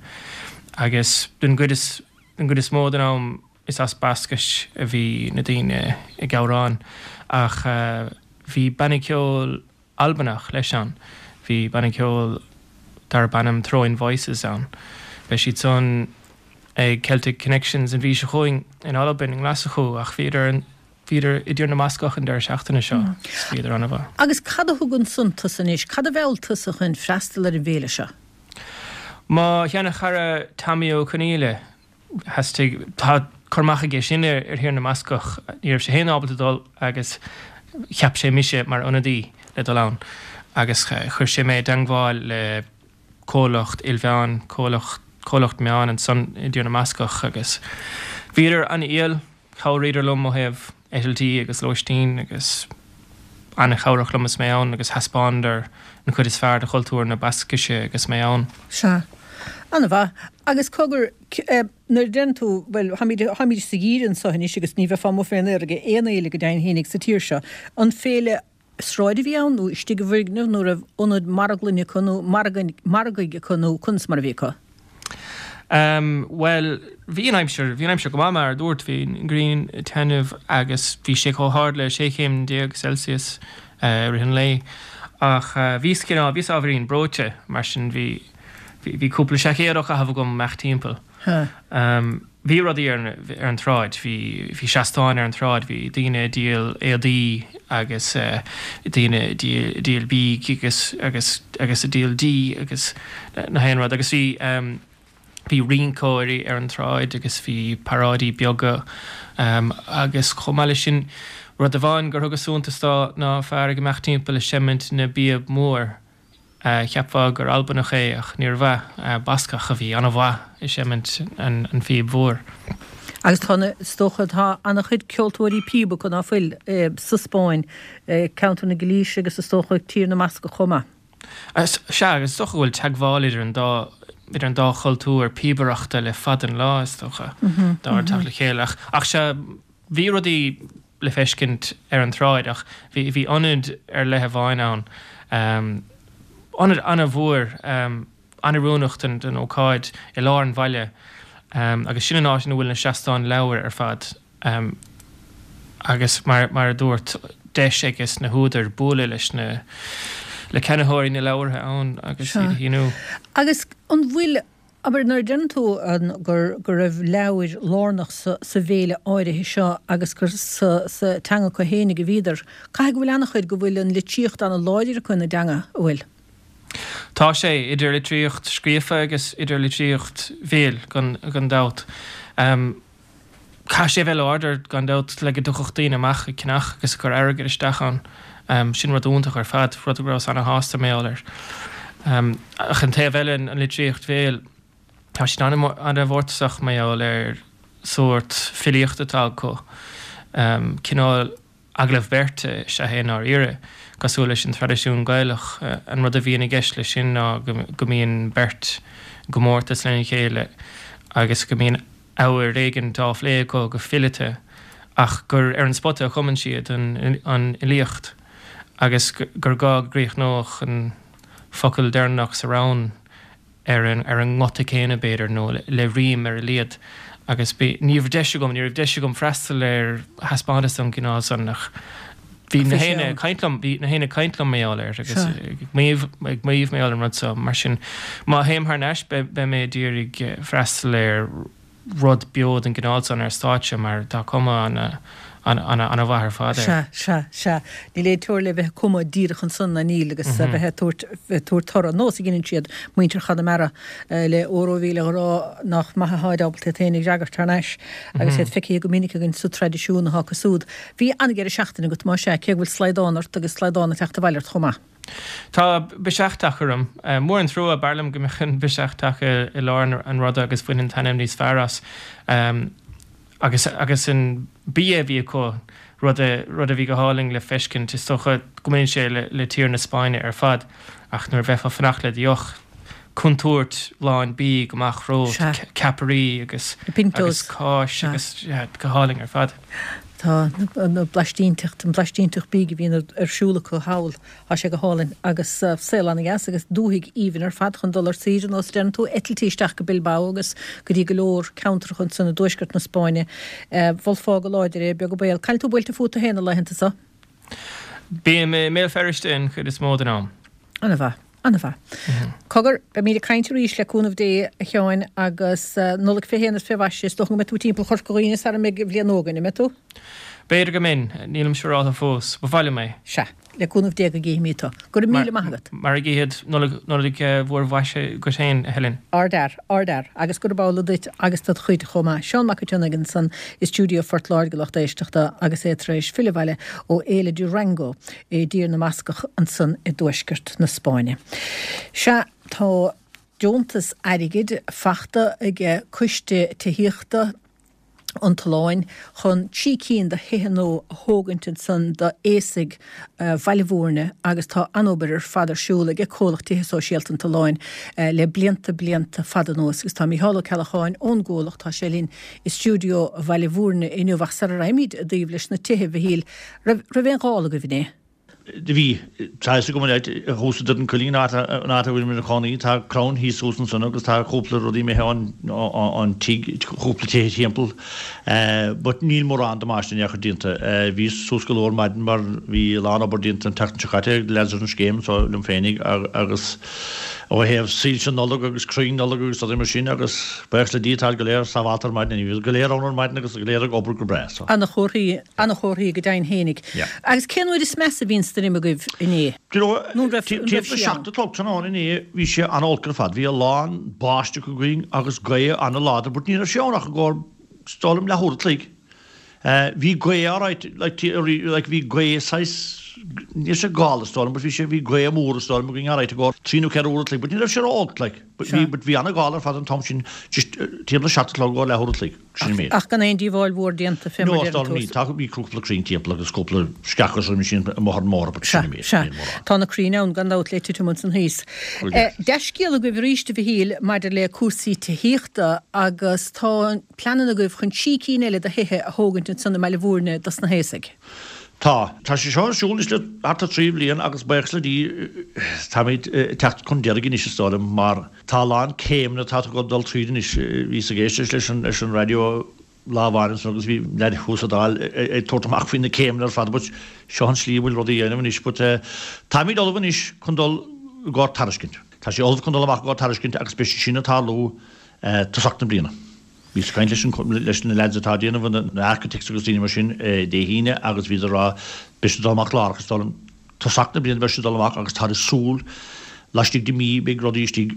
agus den gcuid is den gcuid is mó den am is as Bascais a bhí na daoine ag amhrán ach bhí banna ceoil Albanach leis ann. Bhí banna ceoil darb ainm Throwing Voices ann. Beidh siad san ag Celtic Connections an mhí seo chugainn in Albain, i nGlaschú ach bhíodar an Bhíodar i dTír na mBascach an deireadh seachtaine seo agus bhíodar an-mhaith. Agus cad a thugann tusa anois? Cad a mheall tusa chun freastal ar an bhféile seo? Mo sheana-chara Tommy Ó Conghaile, theastaigh, tá cur amach aige sin ar Thír na mBascach, ní raibh sé féin ábalta dul agus cheap sé mise mar ionadaí le dul ann agus chuir sé mé i dteangmháil le comhlacht ilmheán, comhlacht, comhlacht meán ansan i dTír na mBascach agus bhíodar an-fhial. Chabhraíodar liom ó thaobh eitiltí agus lóistín agus an-chabhrach liom is mé ann agus thaispeánadar an chuid is fearr de chultúr na Bascaise agus mé ann. Sea. An-mhaith. Agus cogar, nuair a deireann tú, bhuel, táimid, táimid sa gheimhreadh anseo anois agus ní bheifeá amuigh fén aer ag aon fhéile go deimhin fhéinig sa tír seo. An féile sráide a bhí ann nó istigh i bhfoirgneamh nó raibh ionad marglainne acu nó margaidh acu nó conas mar a bhí acu? Em, bhuel, bhí an aimsir, bhí an aimsir go maith mar a dúirt, bhí an ghrian ag taitneamh agus bhí sé chomh hard le 16 chéim Celsius i rith an lae ach bhíos cineál, bhíos ábhairín breoite mar sin bhí, bhí, bhí cúpla seaicéad á chaitheamh agam amach timpeall. Em. Bhí rudaí ar ar an tsráid, bhí bhí seastáin ar an tsráid, bhí daoine ag díol éadaí agus daoine ag díol bídh agus agus agus ag díol dí agus na haon rud agus bhí bhí rinceoirí ar an tsráid agus bhí paráidí beaga agus chomh maith leis sin. Rud amháin gur thugas suntas dó ná fear ag imeacht timpeall ag seimint na bpíob mór. Cheapfá gur Albanach é ach níorbh ea, Bascach a bhí an-mhaith ag seimint an phíb mhór. Agus tá na, is dócha, tá an-chuid ceoltóirí píob acu, ná fuil, sa Spáinn, ceantar na Gailíse agus is dócha Tír na mBascach chomh maith. Sea, agus is dócha go bhfuil teagmháil idir an dá, idir an dá chultúr píobaireachta le fada an lá, is dócha, dá teacht le chéile. Ach, ach sea, bhí rudaí le feiscint ar an tsráid ach bhí, bhí ionad ar leith amháin ann, ionad an-mhór, an-oiriúnach don, don ócáid i lár an bhaile agus sin an áit ina bhfuil na seastáin leabhar ar fad. Agus mar, mar a dúrt, deis ages na húdair bualadh leis na, le ceannaitheoirí na leabhartha ann agus iad a shíniú. Agus an bhfuil, abair, nuair a deireann tú an, gur, go raibh leabhair lárnach sa, sa bhféile áirithe seo agus gur sa, sa teanga acu fhéinig a bhíodar, caithfidh go bhfuil an-chuid, go bhfuil an litríocht an-láidir acu ina dteanga, an bhfuil? Tá sé, idir litríocht scríofa agus idir litríocht bhéil, gan, gan dabht. Caithfidh sé a bheith láidir, gan dabht, le go dtiocfadh daoine amach ag ceannach agus ag cur airgid isteach ann. Sin rud iontach ar fad, rud a rabhas ana-shásta mar gheall air. Ach an taobh eile, an litríocht bhéil, tá siad ana-mhórtasach mar gheall ar sórt filíochta atá acu, cineál Agallamh beirte is ea é i ndáiríre, cosúil leis an traidisiún Gaelach. An rud a bhíonn i gceist leis sin ná go mbíonn beirt i gcomórtas lena chéile agus go mbíonn abhar éigin á phlé acu go fileata ach gur ar an spota a chumann siad an fhilíocht agus gur gá go gcríochnódh an focal deireanach sa rann. ar an ar an nguta céanna b'fhéidir nó le rím ar a laghad agus bhí ní raibh deis agam ní raibh deis agam freastal ar thaispeántas den gcineál san ach bhí na héinne ag caint liom bhí na héinne ag caint liom mar gheall air agus ag maíomh ag maíomh mar gheall ar an rud so mar sin má théim thar n-ais beidh beidh mé d'iarraidh freastal ar rud beo den gcineál san ar stáitse mar tá cuma ana-mhaith ar fad air. Sea, sea, sea. Níl aon teora le bheith ag cumadh díreach ansan ná níl agus a bheith ag tabhairt, ag tabhairt toradh. Nós a dheineann siad, muintir Chonamara, le óró 'mhíle ghrá nach maith atháid ábalta iad féin a fhreagairt thar n-ais agus iad feicthe go minic againn sa traidisiún atá acu súd. Bhí an-deireadh seachtaine agat, más ea, cé go bhfuil slaghdán ort agus slaghdán ag teacht abhaile ort chomh maith. Tá biseach tagtha orm. Mór an trua, b'fhearr liom go mbeadh an biseach tagtha i lár an ruda agus bhainfinn taitneamh níos fearr as. Agus agus an bia a bhí acu, rud a rud a bhí go hálainn le feiscint. Is dócha go mbaineann sé le le tír na Spáinne ar fad ach nuair a bheifeá ag fanacht le do dheoch, contúirt lán bídh amach romhat, ceapairí agus agus cáis agus go hálainn ar fad. Tá na blaistínteacht, an blaistínteacht bídh a bhíonn ar siúl acu thall, tá sé go hálainn agus saol ana-dheas agus dúthaigh aoibhinn ar fad chun dul ar saoire nós a deireann tú, eitiltí isteach go Bilbao agus go dtí go leor ceantracha ansan i dtuaisceart na Spáinne. Mholfá go láidir é, beag an baol. Cá bhfuil tú buailte fút féin na laethanta so? Bím i mBéal Feirste an chuid is mó den am. Ana-mhaith. Ana-mhaith. Cogar, beimid ag caint arís le cúnamh Dé, a Sheáin, agus Nollaig fé shéan is fé mhaise. Is dócha go mbeidh tú timpeall Chorca Dhuibhne sara mbeidh an bhliain nua againn, an mbeidh tú? B'fhéidir go mbeinn, nílim siúráltha fós. Ba mhaith liom é. Sea, le cúnamh Dé go gcífimid tú. Go raibh míle maith agat. Mar a gcífead, Nollaig, Nollaig mhór mhaise dhuit féin, a Helen. Ardfhear, ardfhear, agus gurab amhlaidh duit agus dod chuid chomh maith. Seán Mac Tionnaigh ansan i stiúideo Phort Láirge, lucht éisteachta, agus é tar éis filleadh abhaile ó Fhéile Durango. i dTír na mBascach ansan i dtuaisceart na Spáinne. Sea, tá deontas airgid fachta aige Coiste Tithíochta an tOileáin chun 3 cinn de thithe nua a thógaint ansan d'aosaigh Bhaile Bhúirne agus tá an-obair ar fad ar siúl aige Comhlacht Tithe Sóisialta an tOileáin le blianta, blianta fada anuas agus tá Mícheál Ó Ceallacháin ón gComhlacht, tá sé linn i stiúideo Bhaile Bhúirne inniu ach sara raghaimid i dtaobh leis na tithe, a Mhichíl, Raibh, raibh aon ghál agaibh inné? Do bhí. Tá fhios agam an áit thuas i Doire an Choillín, an áit a bhfuilim ina chónaí, tá crann thíos thuas ansan agus tá cúpla rudaí imithe ón tigh, cúpla tithe timpeall. But níl mórán damáiste in aon chor déanta. Bhíos suas go luath ar maidin mar bhí a lán obair déanta an tseachtain seo caite ag leaids ar an scéim so liom féinig agus ó thaobh soilse Nollag agus crainn Nollag agus rudaí mar sin agus buíochas le Dia táid go léir sábhálta ar maidin. Bhí go léir ann ar maidin agus go léir ag obair go breá so. Ana-chomharthaí, ana-chomharthaí go deimhin fhéinig. Yeah. Agus cén uair is measa a bhí an stoirm agaibh inné? Do you know, Nó an raibh, an raibh timpeall sí ann? 7 a chlog tráthnóna inné bhí sé an-olc ar fad. Bhí a lán báisteach againn agus gaoth an-láidir but ní raibh sé ann ach i gcomhair, is dóigh liom, leathuair a chloig. Bhí gaoth alright, like, like bhí gaoth saghas, ní raibh sé gála is dóigh liom, but bhí sé, bhí gaoth mór is dóigh liom againn alright i gcomhair trí nó 4 uair a chloig, but ní raibh sé ró-olc, like, but bhí, but bhí an-ghála ar fad an t-am sin, just timpeall a seacht a chlog i gcomhair leathuair a chloig, sin an méid. Ach gan aon díobháil mhór déanta, fé mar No, is dóigh liom ní, tá, bhí cúpla crainn timpeall agus cúpla sceach agus roimhe sin amuigh ar an mbóthar, but sin an méid, Sea, sea. Tá na crainn ann gan dabht le titim ansan thíos. Dea-scéal agaibh arís, a Mhichíl, maidir le cúrsaí tithíochta agus tá an. pleananna agaibh chun sí cinn eile de thithe a thógaint ansan i mBaile Bhúirne dos na haosaigh. Tá. Tá sé seo ar siúl anois le thart ar thrí bhliain agus buíochas le Dia táimid ag teacht chun deiridh anois is dóigh liom mar tá a lán céimeanna atá ag dul tríd anois. Bhíos ag éisteacht leis an leis an raidió lá amháin ansan agus bhí leaid thuas sa Dáil ag tabhairt amach faoi na céimeanna ar fad but seo an slí a bhfuil rudaí a dhéanamh anois but táimid ullamh anois chun dul i gcomhair tairiscint. Tá sé ullamh chun dul amach i gcomhair tairiscint agus beidh sé sin ag tarlú tosach na bliana. Bhíos ag caint leis an, leis na leaids atá ag déanamh na architects agus daoine mar sin Dé hAoine agus bhíodar ag rá beidh siad ag dul amach láithreach is dóigh liom tosach na bliana beidh siad ag dul amach agus táthar ag súil laistigh de mhí beidh rudaí istigh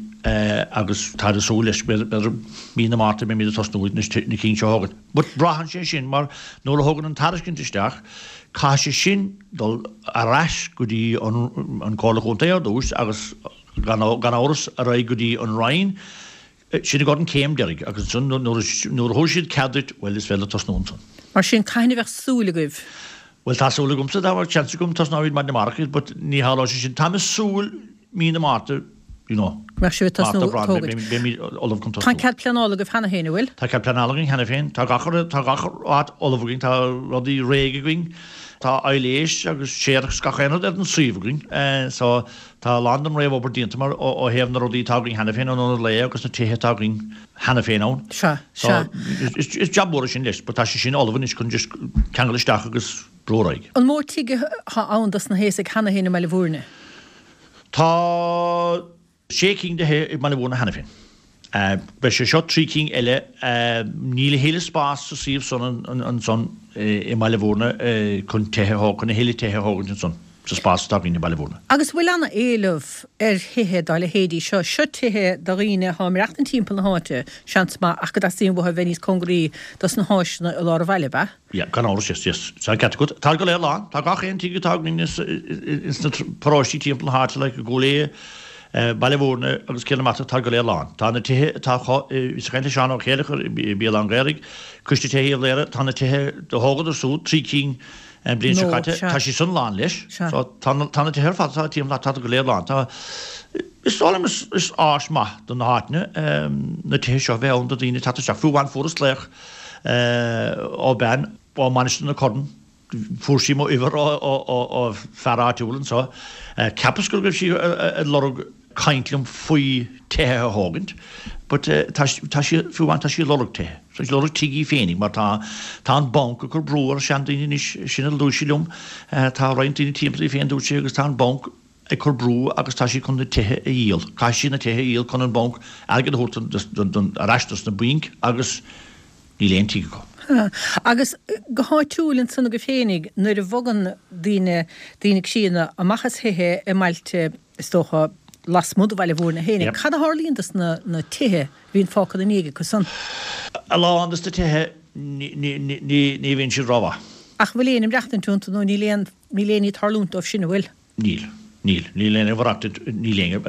agus táthar ag súil leis b'fhéidir mí na Márta beimid ag tosnú na cinn seo a thógaint. But braitheann sé sin mar nuair a thagann an tairiscint isteach caithfidh sé sin dul ar ais go dtí an Comhairle Chontae ar dtús agus gan amhras ar aghaidh go dtí an Roinn Sin i gcomhair an céim deiridh agus ansan nuair a thabharfaidh siad cead duit, bhuel is féidir leat tosnú ansan. Mar sin, cathain a bheadh súil agaibh? Bhuel tá súil agamsa, dá mbeadh seans agam tosnóimid maidin amárach but ní tharlóidh sé sin. Táim ag súil mí na Márta, you know. Go mbeadh sibh ag tosnú ag tógaint. Beimid ullamh chun tosnú. Tá an cead pleanála agaibh cheana féin, an bhfuil? Tá cead pleanála againn cheana féin. Tá gach tá gach áit ullamh againn, tá rudaí réidh againn, tá aibhléis agus séarachas gach aon rud ar an suíomh againn. So Tá a lán den réamhobair déanta mar ó thaobh na rudaí atá againn cheana féin, an ionad lae agus na tithe atá againn cheana féin ann. Sea, sea. Is jab mór é sin leis, but tá sé sin ullamh anois chun just ceangal isteach agus brú ar aghaidh. An mó tigh atá ann dos na haosaigh cheana féin i mBaile Bhúirne? Tá sé cinn de thithe i mBaile Bhúirne cheana féin. Beidh sé seo trí cinn eile. Níl a thuilleadh spás sa suíomh san ansan i mBaile Bhúirne chun tithe a thógaint, chun a thuilleadh tithe a thógaint ansan sa spás atá againn i mBaile Bhúirne. Agus bhfuil ana-éileamh ar thithe dá leithéidí seo? Seo tithe do dhaoine atá ag maireachtaint timpeall na háite, seans maith, ach go dteastaíonn uathu a bheith níos cóngaraí dos na háiseanna i lár an bhaile, ab ea? Yeah, gan amhras, yes, yes. Tá an ceart agat. Tá go léir lán. Tá gach aon tigh atá againn ins na paróistí timpeall na háite, like i gCúil Aodha, Baile Bhúirne agus Cill na Martra, tá go léir lán. Tá na tithe atá acu, bhíos ag caint le Seán Ó Céileachair i Bialann an Ghaorthaidh, Coiste Tithe Uíbh Laoghaire, tá na tithe do thógadar súd, trí cinn an bhliain seo caite, tá siad san lán leis. So tá na tá na tithe ar fad atá timpeall tá go léir lán. Tá is dóigh liom is is áis maith do na háiteanna na tithe seo a bheith ann do daoine teacht isteach. Fiú amháin fuaireas glaoch ó bean ó Mainistir na Corann, fuair sí mo uimhir ó fear áitiúil anseo. Cheapas go raibh sí ag lorg caint liom faoi tithe a thógaint, but tá sí, fiú amháin tá sí ag lorg tithe. Tá sí ag lorg tigh í féinig mar tá tá an banc ag cur brú ar seandaoine anois, sin a dúirt sí liom. Tá roinnt daoine timpeall í féin dúirt sí agus tá an banc ag cur brú agus tá siad chun na tithe a dhíol. Caithfidh siad na tithe a dhíol chun an banc airgead a thabhairt ar ais dos na bainc agus níl aon tigh acu. Agus go háitiúil ansan agaibh féinig, nuair a bhogann daoine, daoine críonna, amach as thithe i mbailte, is dócha, lasmuigh de Bhaile Bhúirne féinig, cad a tharlaíonn dos na tithe a bhíonn fágtha ina ndiaidh acu san? A lán dos na tithe ní bhíonn siad rómhaith. Ach an bhfuil éinne ag maireachtaint iontu nó níl aon, níl aon ní ag tarlúint dóibh sin, an bhfuil? Níl. Níl. Níl éinne ag maireachtaint, níl éinne,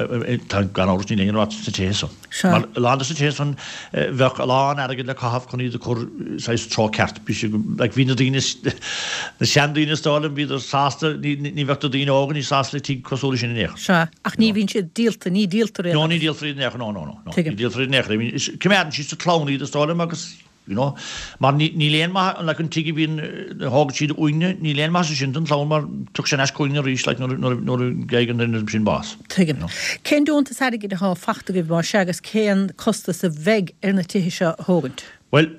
tá, gan amhras, níl éinne ag maireachtaint sna tithe san. Sea. Mar a lán de sna tithe san, bheadh a lán airgid le caitheamh chun iad a chur saghas treo ceart. Bhí sé, like, bhí na daoine, na seandaoine is dóigh liom, bhíodar sásta, ní, ní bheadh na daoine óga níos sásta le tigh cosúil leis sin in aon chor. Sea. Ach ní bhíonn siad díolta, ní díoltar iad. No, ní díoltar iad in aon chor, no, no, no, no. Tuigim. Ní díoltar iad in aon chor. I mean, is, coimeádann siad sa chlann iad is dóigh liom agus, You know, mar ní, níl aon maith, like an tigh a bhíonn, a thógann siad uainne, níl aon maitheas sin don chlann mar tiocfaidh sé ar ais chugainn arís like nuair, nuair, nuair a gheibheann an duine sin bás. Tuigim. You know. Cén deontas airgid atá fachta agaibh más ea agus cén costas a bheidh ar na tithe seo a thógaint? Bhuel,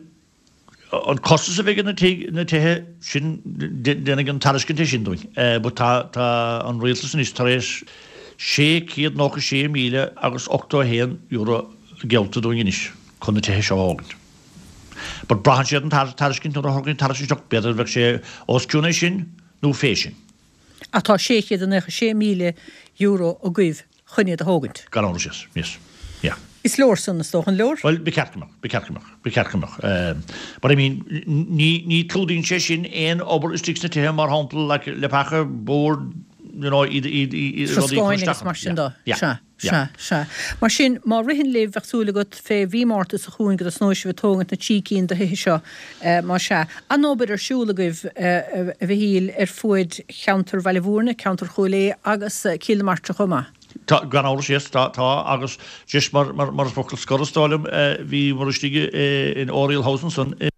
an costas a bheidh ar na tigh, na tithe sin, déanfaidh an tairiscint é sin dúinn. But tá, tá an rialtas anois tar éis €696,000 agus €81 geallta dúinn anois. chun na tithe seo a thógaint. But braitheann sé ar an tairiscint nuair a thagann an tairiscint isteach, b'fhéidir bheadh sé os cionn é sin nó fé sin. Ach tá €696,000 agaibh chun iad a thógaint. Gan amhras, yes, yes, yeah. Is leor san, is dócha, an leor? Bhuel, ba cheart go mbeadh, ba cheart go mbeadh, ba cheart go mbeadh. But I mean, ní, ní clúdaíonn sé sin aon obair istigh sna tithe, mar shampla, like leapacha, boird, you know, iad, iad, iad, rudaí a chur Troscáin isteach agus mar sin Yeah, de. yeah, Sea, yeah. sea, sea. Mar sin, má ritheann libh, bheadh súil agat, fé mhí Márta seo chugainn go dtosnóidh sibh ag tógaint na dtrí cinn de thithe seo, más ea. An-obair ar siúl agaibh, a Mhichíl, ar fuaid cheantar Bhaile Bhúirne, ceantar Chúil Aodha agus Cill na Martra chomh maith. Tá, gan amhras, yes, tá, tá, agus just mar, mar, mar focal scoir is dóigh liom, bhíomar istigh in Oriel House ansan i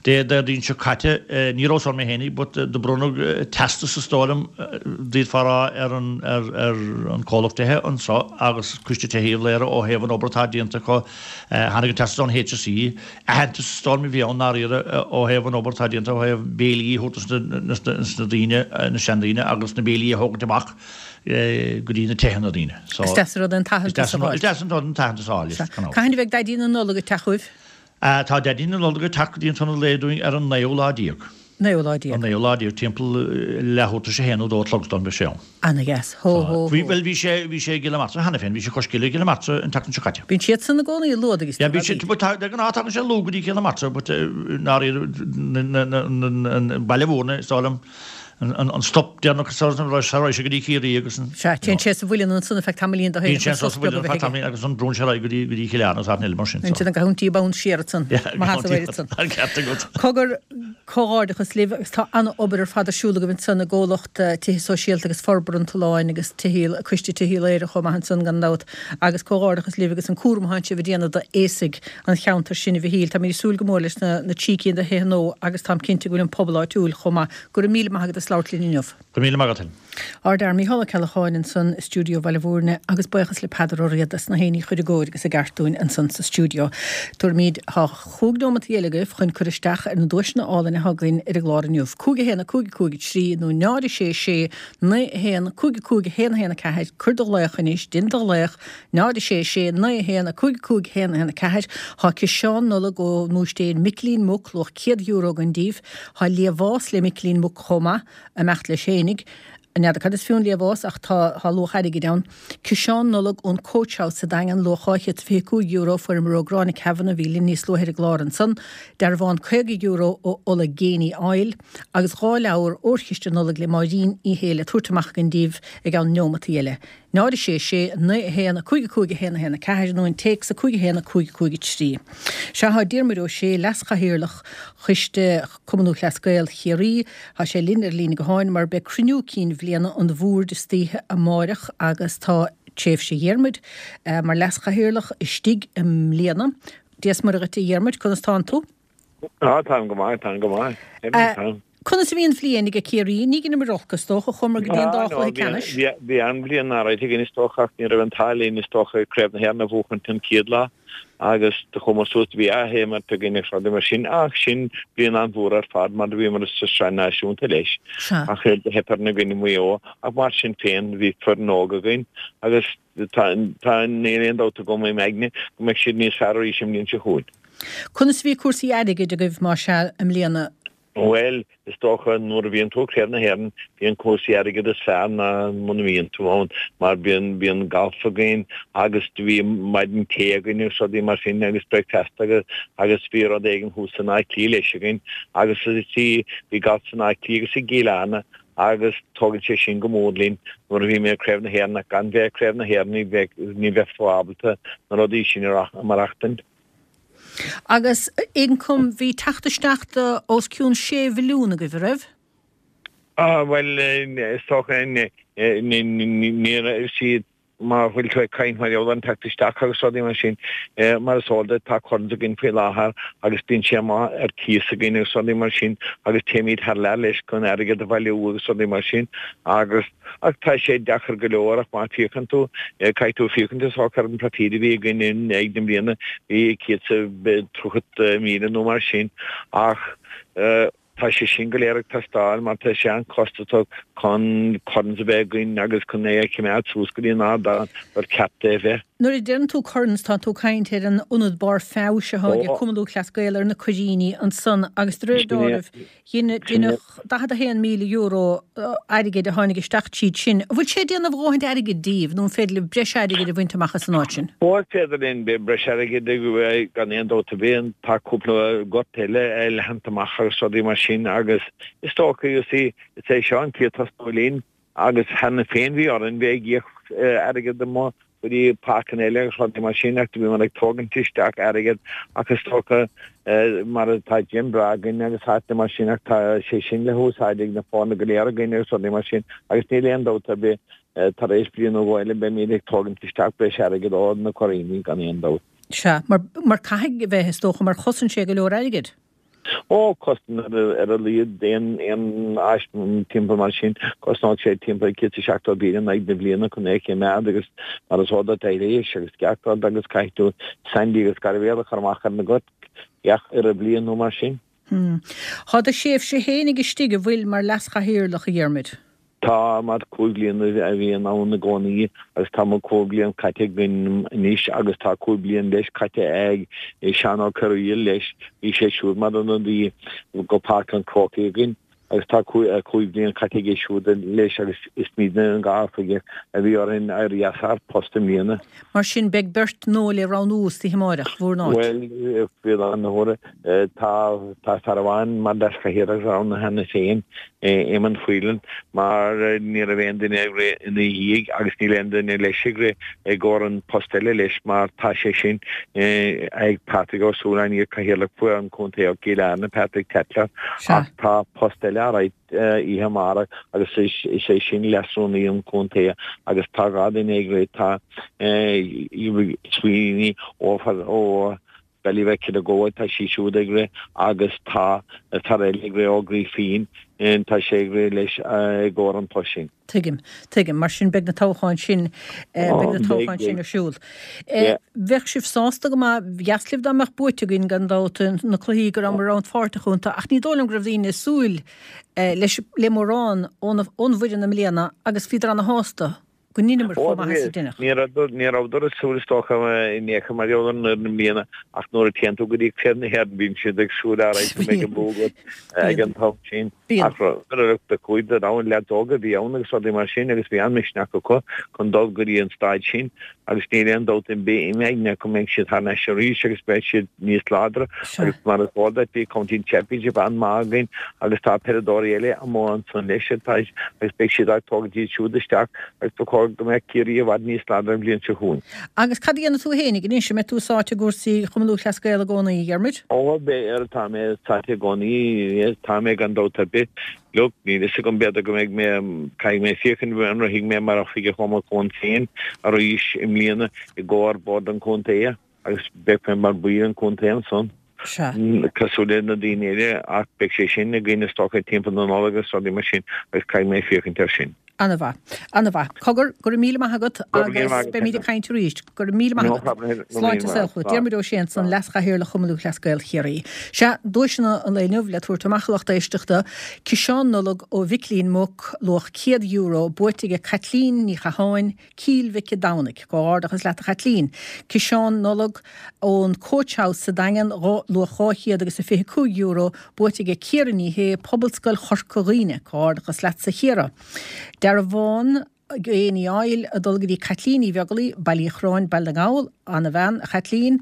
Dé Déardaoin seo caite, ní rabhas ann mé fhéinig, but do bronnadh teastas is dóigh liom, d'fhéadfá a rá, ar an, ar, ar an comhlacht tithe anso agus Coiste Tithe Uíbh Laoghaire ó thaobh an obair atá déanta acu. Tháinig an teastas ón HSE, aitheantas is dóigh liom a bhí ann ndáiríre ó thaobh an obair atá déanta ó thaobh béilí a thabhairt dos na daoine, na seandaoine agus na béilí a thógaint amach. go dtí na tithe na daoine. So, Is deas an rud é an t-aitheantas a fháil. Is deas an rud an t-aitheantas a fháil, yes, gan amhras. Cathain a bheidh Daidí na Nollag ag teacht chugaibh? Tá Daidí na Nollag ag teacht go dtí an t-ionad lae dúinn ar an naoú lá déag. Naoú lá déag. An naoú lá déag, timpeall leathuair tar éis a haon nó dó a chlog is dóigh liom beidh sé ann. Ana-dheas. Hó, hó, hó. Bhí, bhuel, bhí sé, bhí sé i gCill na Martra cheana féin, bhí sé cois cille i gCill na Martra an tseachtain seo caite. Bíonn siadsan i gcónaí luath agus Yeah, bíonn siad, but tá, de ghnáth tagann sé luath go dtí Cill na Martra, but i ndáiríre, na, na, na, na, Baile Bhúirne, is dóigh liom, An stop deireanach sara rachaidh sé go dtí Ciarraí agus an. Sea, téann sé sa mhuileann ansan ar feadh tamaillín do féin. Bíonn sé ansan sa mhuileann ar feadh tamaillín agus ansan brúnn sé ar aghaidh go dtí go dtí Cill Airne agus áiteanna eile mar sin. Bíonn siad an gabhaint bonn siar ansan. Maith as a bhfuil ansan. An ceart agat. Cogar, comhghairdeachas libh agus tá an-obair ar fad ar siúl agaibh ansan i gComhlacht Tithe Sóisialta agus Forbartha an tSuláin agus Tithe, Coiste Tithe Laoghaire chomh maith ansan gan dabht agus comhghairdeachas libh agus an cúram atánn sibh a déanamh d'aosaigh an cheantair sin a Mhichíl. Táimid ag súil go mór leis na na trí cinn de thithe nua agus táim cinnte go bhfuil an pobal áitiúil chomh maith. Go raibh míle maith agat as labhairt linn inniu. Go raibh míle maith agat Helen. Ár bhfear Mícheál Ó Ceallacháin ansan i stiúideo Bhaile Bhúirne agus buíochas le Peadar Ó Riada as na héinní a chur i gcóir agus i gceart dúinn ansan sa stiúideo. Tabharfaimid tá chúig neomat eile agaibh chun cur isteach ar na duaiseanna álainn atá againn ar an gclár inniu. 5 1 5 5 3 nó 0 6 6 9 1 5 5 1 1 4 Cuir do ghlaoch anois, déan do ghlaoch 0 6 6 9 1 5 5 1 1 4 Tá ciseán Nollag ó Bhúistéir Micilín Muc luach €100 againn daoibh. Tá liamhás le Micilín Muc chomh maith, ag imeacht leis fhéinig. N'fheadar cad is fiú an liamhás ach tá tá luach airgid ann. Ciseán Nollag ón Coach House sa Daingean, luach €225, fuaireamar ó Gráinne Kavanagh a bhí linn níos luaithe ar an gclár ansan. Dearbhán €50 ó Ola Geaney Oil agus dhá leabhar Órchiste Nollag le Máirín Uí Shé le tabhairt amach againn daoibh i gceann neomataí eile. 0 6 6 9 1 5 5 1 1 4 nó an téacs 5 1 5 5 3. Sea, tá Diarmuid Ó Sé, Leas-Chathaoirleach Choiste Cumann Lúthchleas Gael Chiarraí, tá sé linn ar an líne gutháin mar beidh cruinniú cinn bhliana an bhoird istoíche amáireach agus tá tréimhse Dhiarmuid mar Leas-Chathaoirleach istigh i mbliana. Dia is Muire dhuit a Dhiarmuid, conas tánn tú? Ah, táim go maith, táim go maith. Táim. Conas a bhí an bhliain ag Ciarraí? Ní dheineamar olc, is dócha, chuamar go dtí an dá chluiche ceannais. Bhí an-bhliain áirithe againn, is dócha, ach ní raibh an t-ádh linn, is dócha, Craobh na hÉireann a bhuachaint an chéad lá agus do chuamar suas, do bhí athimirt againn agus rudaí mar sin, ach sin bliain an-mhór ar fad mar do bhíomar sa tSraith Náisiúnta leis. Ach do theip orainn i gcoinne Mhaigh Eo, ach mar sin féin bhí foireann óg againn agus Tá, tá, níl aon dabht agam im aigne go mbeidh siad níos fearr arís an bhliain seo chugainn. Conas a bhí cúrsaí airgid agaibh, más ea, i mbliana? Bhuel, is dócha nuair a bhíonn tú i Craobh na hÉireann, bíonn cúrsaí airgid is fearr ná muna mbíonn tú ann, mar bíonn, bíonn galf againn agus do bhí maidin tae againn agus rudaí mar sin agus bricfeasta agus, agus bhí rud éigin thuas in Áth Cliath leis againn agus is, bhí galf in Áth Cliath agus i gCill Airne agus tógann sé sin go mór linn nuair a bhí mé ag Craobh na hÉireann ach gan bheith ag Craobh na hÉireann ní bheadh ní bheifeá ábalta na rudaí sin a maireachtaint. Agus ioncam, bhí teacht isteach de os cionn sé mhilliún agaibh, a raibh? Ah bhuel is dócha ní ní raibh siad Má bhfuil tú ag caint mar gheall ar an teacht isteach agus rudaí mar sin, mar is eol duit, tá Currans againn faoi láthair agus bíonn sé amuigh ar cíos againn agus rudaí mar sin agus téimid thar lear leis chun airgead a bhailiú agus rudaí mar sin agus, ach tá sé deacair go leor ach má féachann tú, caithfidh tú féachaint is dócha ar an profit a bhí againn in aghaidh na bliana, bhí 130,000 nó mar sin ach. tá sé sin go léir ag teastáil mar tá sé an-chostasach chun coirns a bheith againn agus chun é a choimeád suas go dtí an ardán gur ceart é a bheith. Nuair a deireann tú coirns tá tú ag caint ar an ionad barr feabhais atá ag Cumann Lúthchleas Gael ar na Coiríní ansan agus de réir dealraimh Deineadh €41,000 airgid a tháinig isteach tríd sin. An bhfuil sé ag déanamh a dhóthaint airgid díbh nó an féidir libh breis airgid a bhaint amach as an áit sin? Ó, is féidir linn breis airgid a gan aon dabht ar bith. Tá cúpla gort eile leathanta amach agus rudaí mar sin agus is dócha, you see, is é seo an chéad tosnú linn Agus cheana féin bhí orainn bheith ag íoc airgead amuigh go dtí páirceanna eile agus rudaí mar sin ach do bhíomar ag tógaint isteach airgead ach is dócha mar tá gym breá againn agus áiteanna mar sin ach tá sé sin le húsáid ag na foirne go léir againn agus rudaí mar sin agus níl aon dabht ar bith tar éis bliain nó dhó eile beimid ag tógaint isteach breis airgead ó na Coiríní gan aon dabht. Sea, mar, mar caithfidh a bheith is dócha mar chosain sé go leor airgid. Ó, cosnaíonn ar a laghad aon áis timpeall mar sin, cosnóidh sé timpeall 170,000 in aghaidh na bliana chun é a choimeád agus mar is eol duit aibhléis agus gach rud agus caithfidh tú sandy agus gairbhéal a chur amach ar na goirt gach uile bliain nó mar sin. Tá do thréimhse fhéinig istigh an bhfuil mar leas-chathaoirleach, a Dhiarmuid? Tá, mar 5 bliana a bhíonn ann i gcónaí agus tá mo 5 bliain caite againn anois agus tá 5 bliain leis caite ag Seán Ó Cearúil leis, bhí sé siúd mar ionadaí go Páirc an Chrócaigh againn agus tá 5 bliain caite aige siúd leis agus is muidne an dá oifigeach a bhí orainn éirí as ár bpost i mbliana. Mar sin beidh beirt nua le roghnú istoíche amáireach, bhur n-áit. Bhuel, faoi láthair na huaire, Tá tá fear amháin mar leaschathaoirleach roghnaithe cheana féin, Éamonn Whelan, mar ní raibh aon duine ag rith ina dhiaidh agus níl aon duine leis ag rith i gcomhair an post eile leis mar tá sé sin ag Patrick Ó Súilleabháin, iar-chathaoirleach faoi an Chontae ó gCill Airne, Patrick Tatler, ach tá post eile á rith oíche amárach agus is é sin leasrúnaí an chontae agus tá 2 duine ag rith, tá Sweeney ó ó Baile Mhic an Ghabha, tá sí siúd ag rith agus tá fear eile ag rith ó Grífín, tá sé ag rith leis i gcomhair an post sin. Tuigim, tuigim. Mar sin beidh na toghcháin sin, beidh na toghcháin sin ar siúl. Bheadh sibh sásta go maith, ba dheas libh dá mbeadh buaite againn gan dabht, na cluichí go rabhamar rannpháirteach iontu ach ní dóigh liom go raibh daoine ag súil leis, le mórán ón bhfoireann i mbliana agus bhíodar ana-shásta. go ndeineamar chomh maith is a deineadh. Ní rabhadar ag súil is dócha in aon chor mar gheall ar an fhoireann i mbliana ach nuair a téann tú go dtí Craobh na hÉireann bíonn siad ag súil ar aghaidh go mbeidh an bua agat ag an t-am sin. Ach chuaigh na rogha leaids óga a bhí ann agus rudaí mar sin agus bhí an-mhisneach acu chun dul go dtí an staid sin agus níl aon dabht ar bith im aigne go mbeidh siad thar n-ais arís agus beidh siad níos láidre agus mar is eol duit bhí County Championship an-mhaith againn agus tá peileadóirí eile amuigh ansan leis atá agus beidh siad ag tógaint iad siúd isteach agus ba chóir go mbeadh Ciarraí i bhfad níos láidre an bhliain seo chugainn. Agus cad a dhéanfaidh tú fhéinig anois? An mbeidh tú sáite i gcúrsaí Chumann Lúthchleas Gael i gcónaí, a Dhiarmuid? Ó, beidh, tá mé sáite i gcónaí, tá mé gan dabht ar bith. Look, níl fhios agam, b'fhéidir go mbeidh mé, caithfidh mé féachaint an rithfidh mé mar oifigeach ó mo chumann féin arís i mbliana i gcomhair Bord an Chontae. Agus beidh mé mar bhaill an chontae ansan, cosúil le na daoine eile, ach beidh sé sin againn is dócha timpeall na Nollag agus rudaí mar sin agus caithfidh mé féachaint air sin. Ana-mhaith. Ana-mhaith. Cogar, go raibh míle maith agat agus beimid ag caint arís. Go raibh míle maith agat. Sláinte is saol chugat. Diarmuid Ó Sé ansan, Leas-Chathaoirleach Chumann Lúthchleas Gael Chiarraí. Sea, duaiseanna an lae inniu le tabhairt amach a lucht éisteachta, Ciseán Nollag ó Mhicilín Muc, luach €100, buaite aige Caitlín Ní Chatháin, Cill Mhic a' Domhnaigh. Comhghairdeachas leat a Chaitlín. Ciseán Nollag ón Coach House sa Daingean, luach €225, buaite aige Ciara Ní Shé, Pobalscoil Chorca Dhuibhne. Comhghairdeachas leatsa a Chiara. Dearbhán Genie Oil ag dul go dtí Caitlín Ní Bheaglaoi, Baile Uí Chorráin, Baile na nGall. Ana-bhean, a Chaitlín.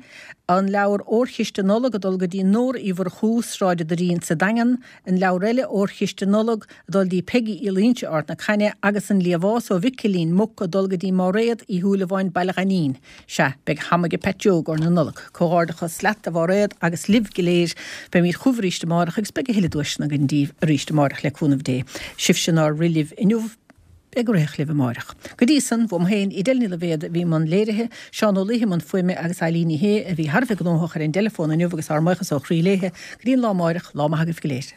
An leabhar Órchiste Nollag ag dul go dtí Nóra Uí Mhurchú, Sráid an Doirín sa Daingean. An leabhar eile, Órchiste Nollag, ag dul dtí Peigí Uí Loingsigh, Ard na Caithne, agus an Liamhás ó Mhicilín Muc ag dul go dtí Máiréad Uí Shúilleabháin, Baile Ghainín. Sea, beidh ham aige Pat Joe i gcomhair na Nollag. Comhghairdeachas leat, a Mháiréad, agus libh go léir. Beimid chugaibh arís amárach agus beidh a thuilleadh duaiseanna againn daoibh arís amárach le cúnamh Dé. Sibhse nár rith libh inniu, beidh go rithfeadh libh amárach. Go dtí san, uaim féin, Edel Ní Loibhéad a bhí i mbun léirithe, Seán Ó Laoithe i mbun fuaime agus Eilín Ní Shé a bhí thar a bheith gnóthach ar an dteileafón inniu agus ár mbuíochas ó chroí léithe. Go dtí an lá amáireach, lá maith agaibh go léir.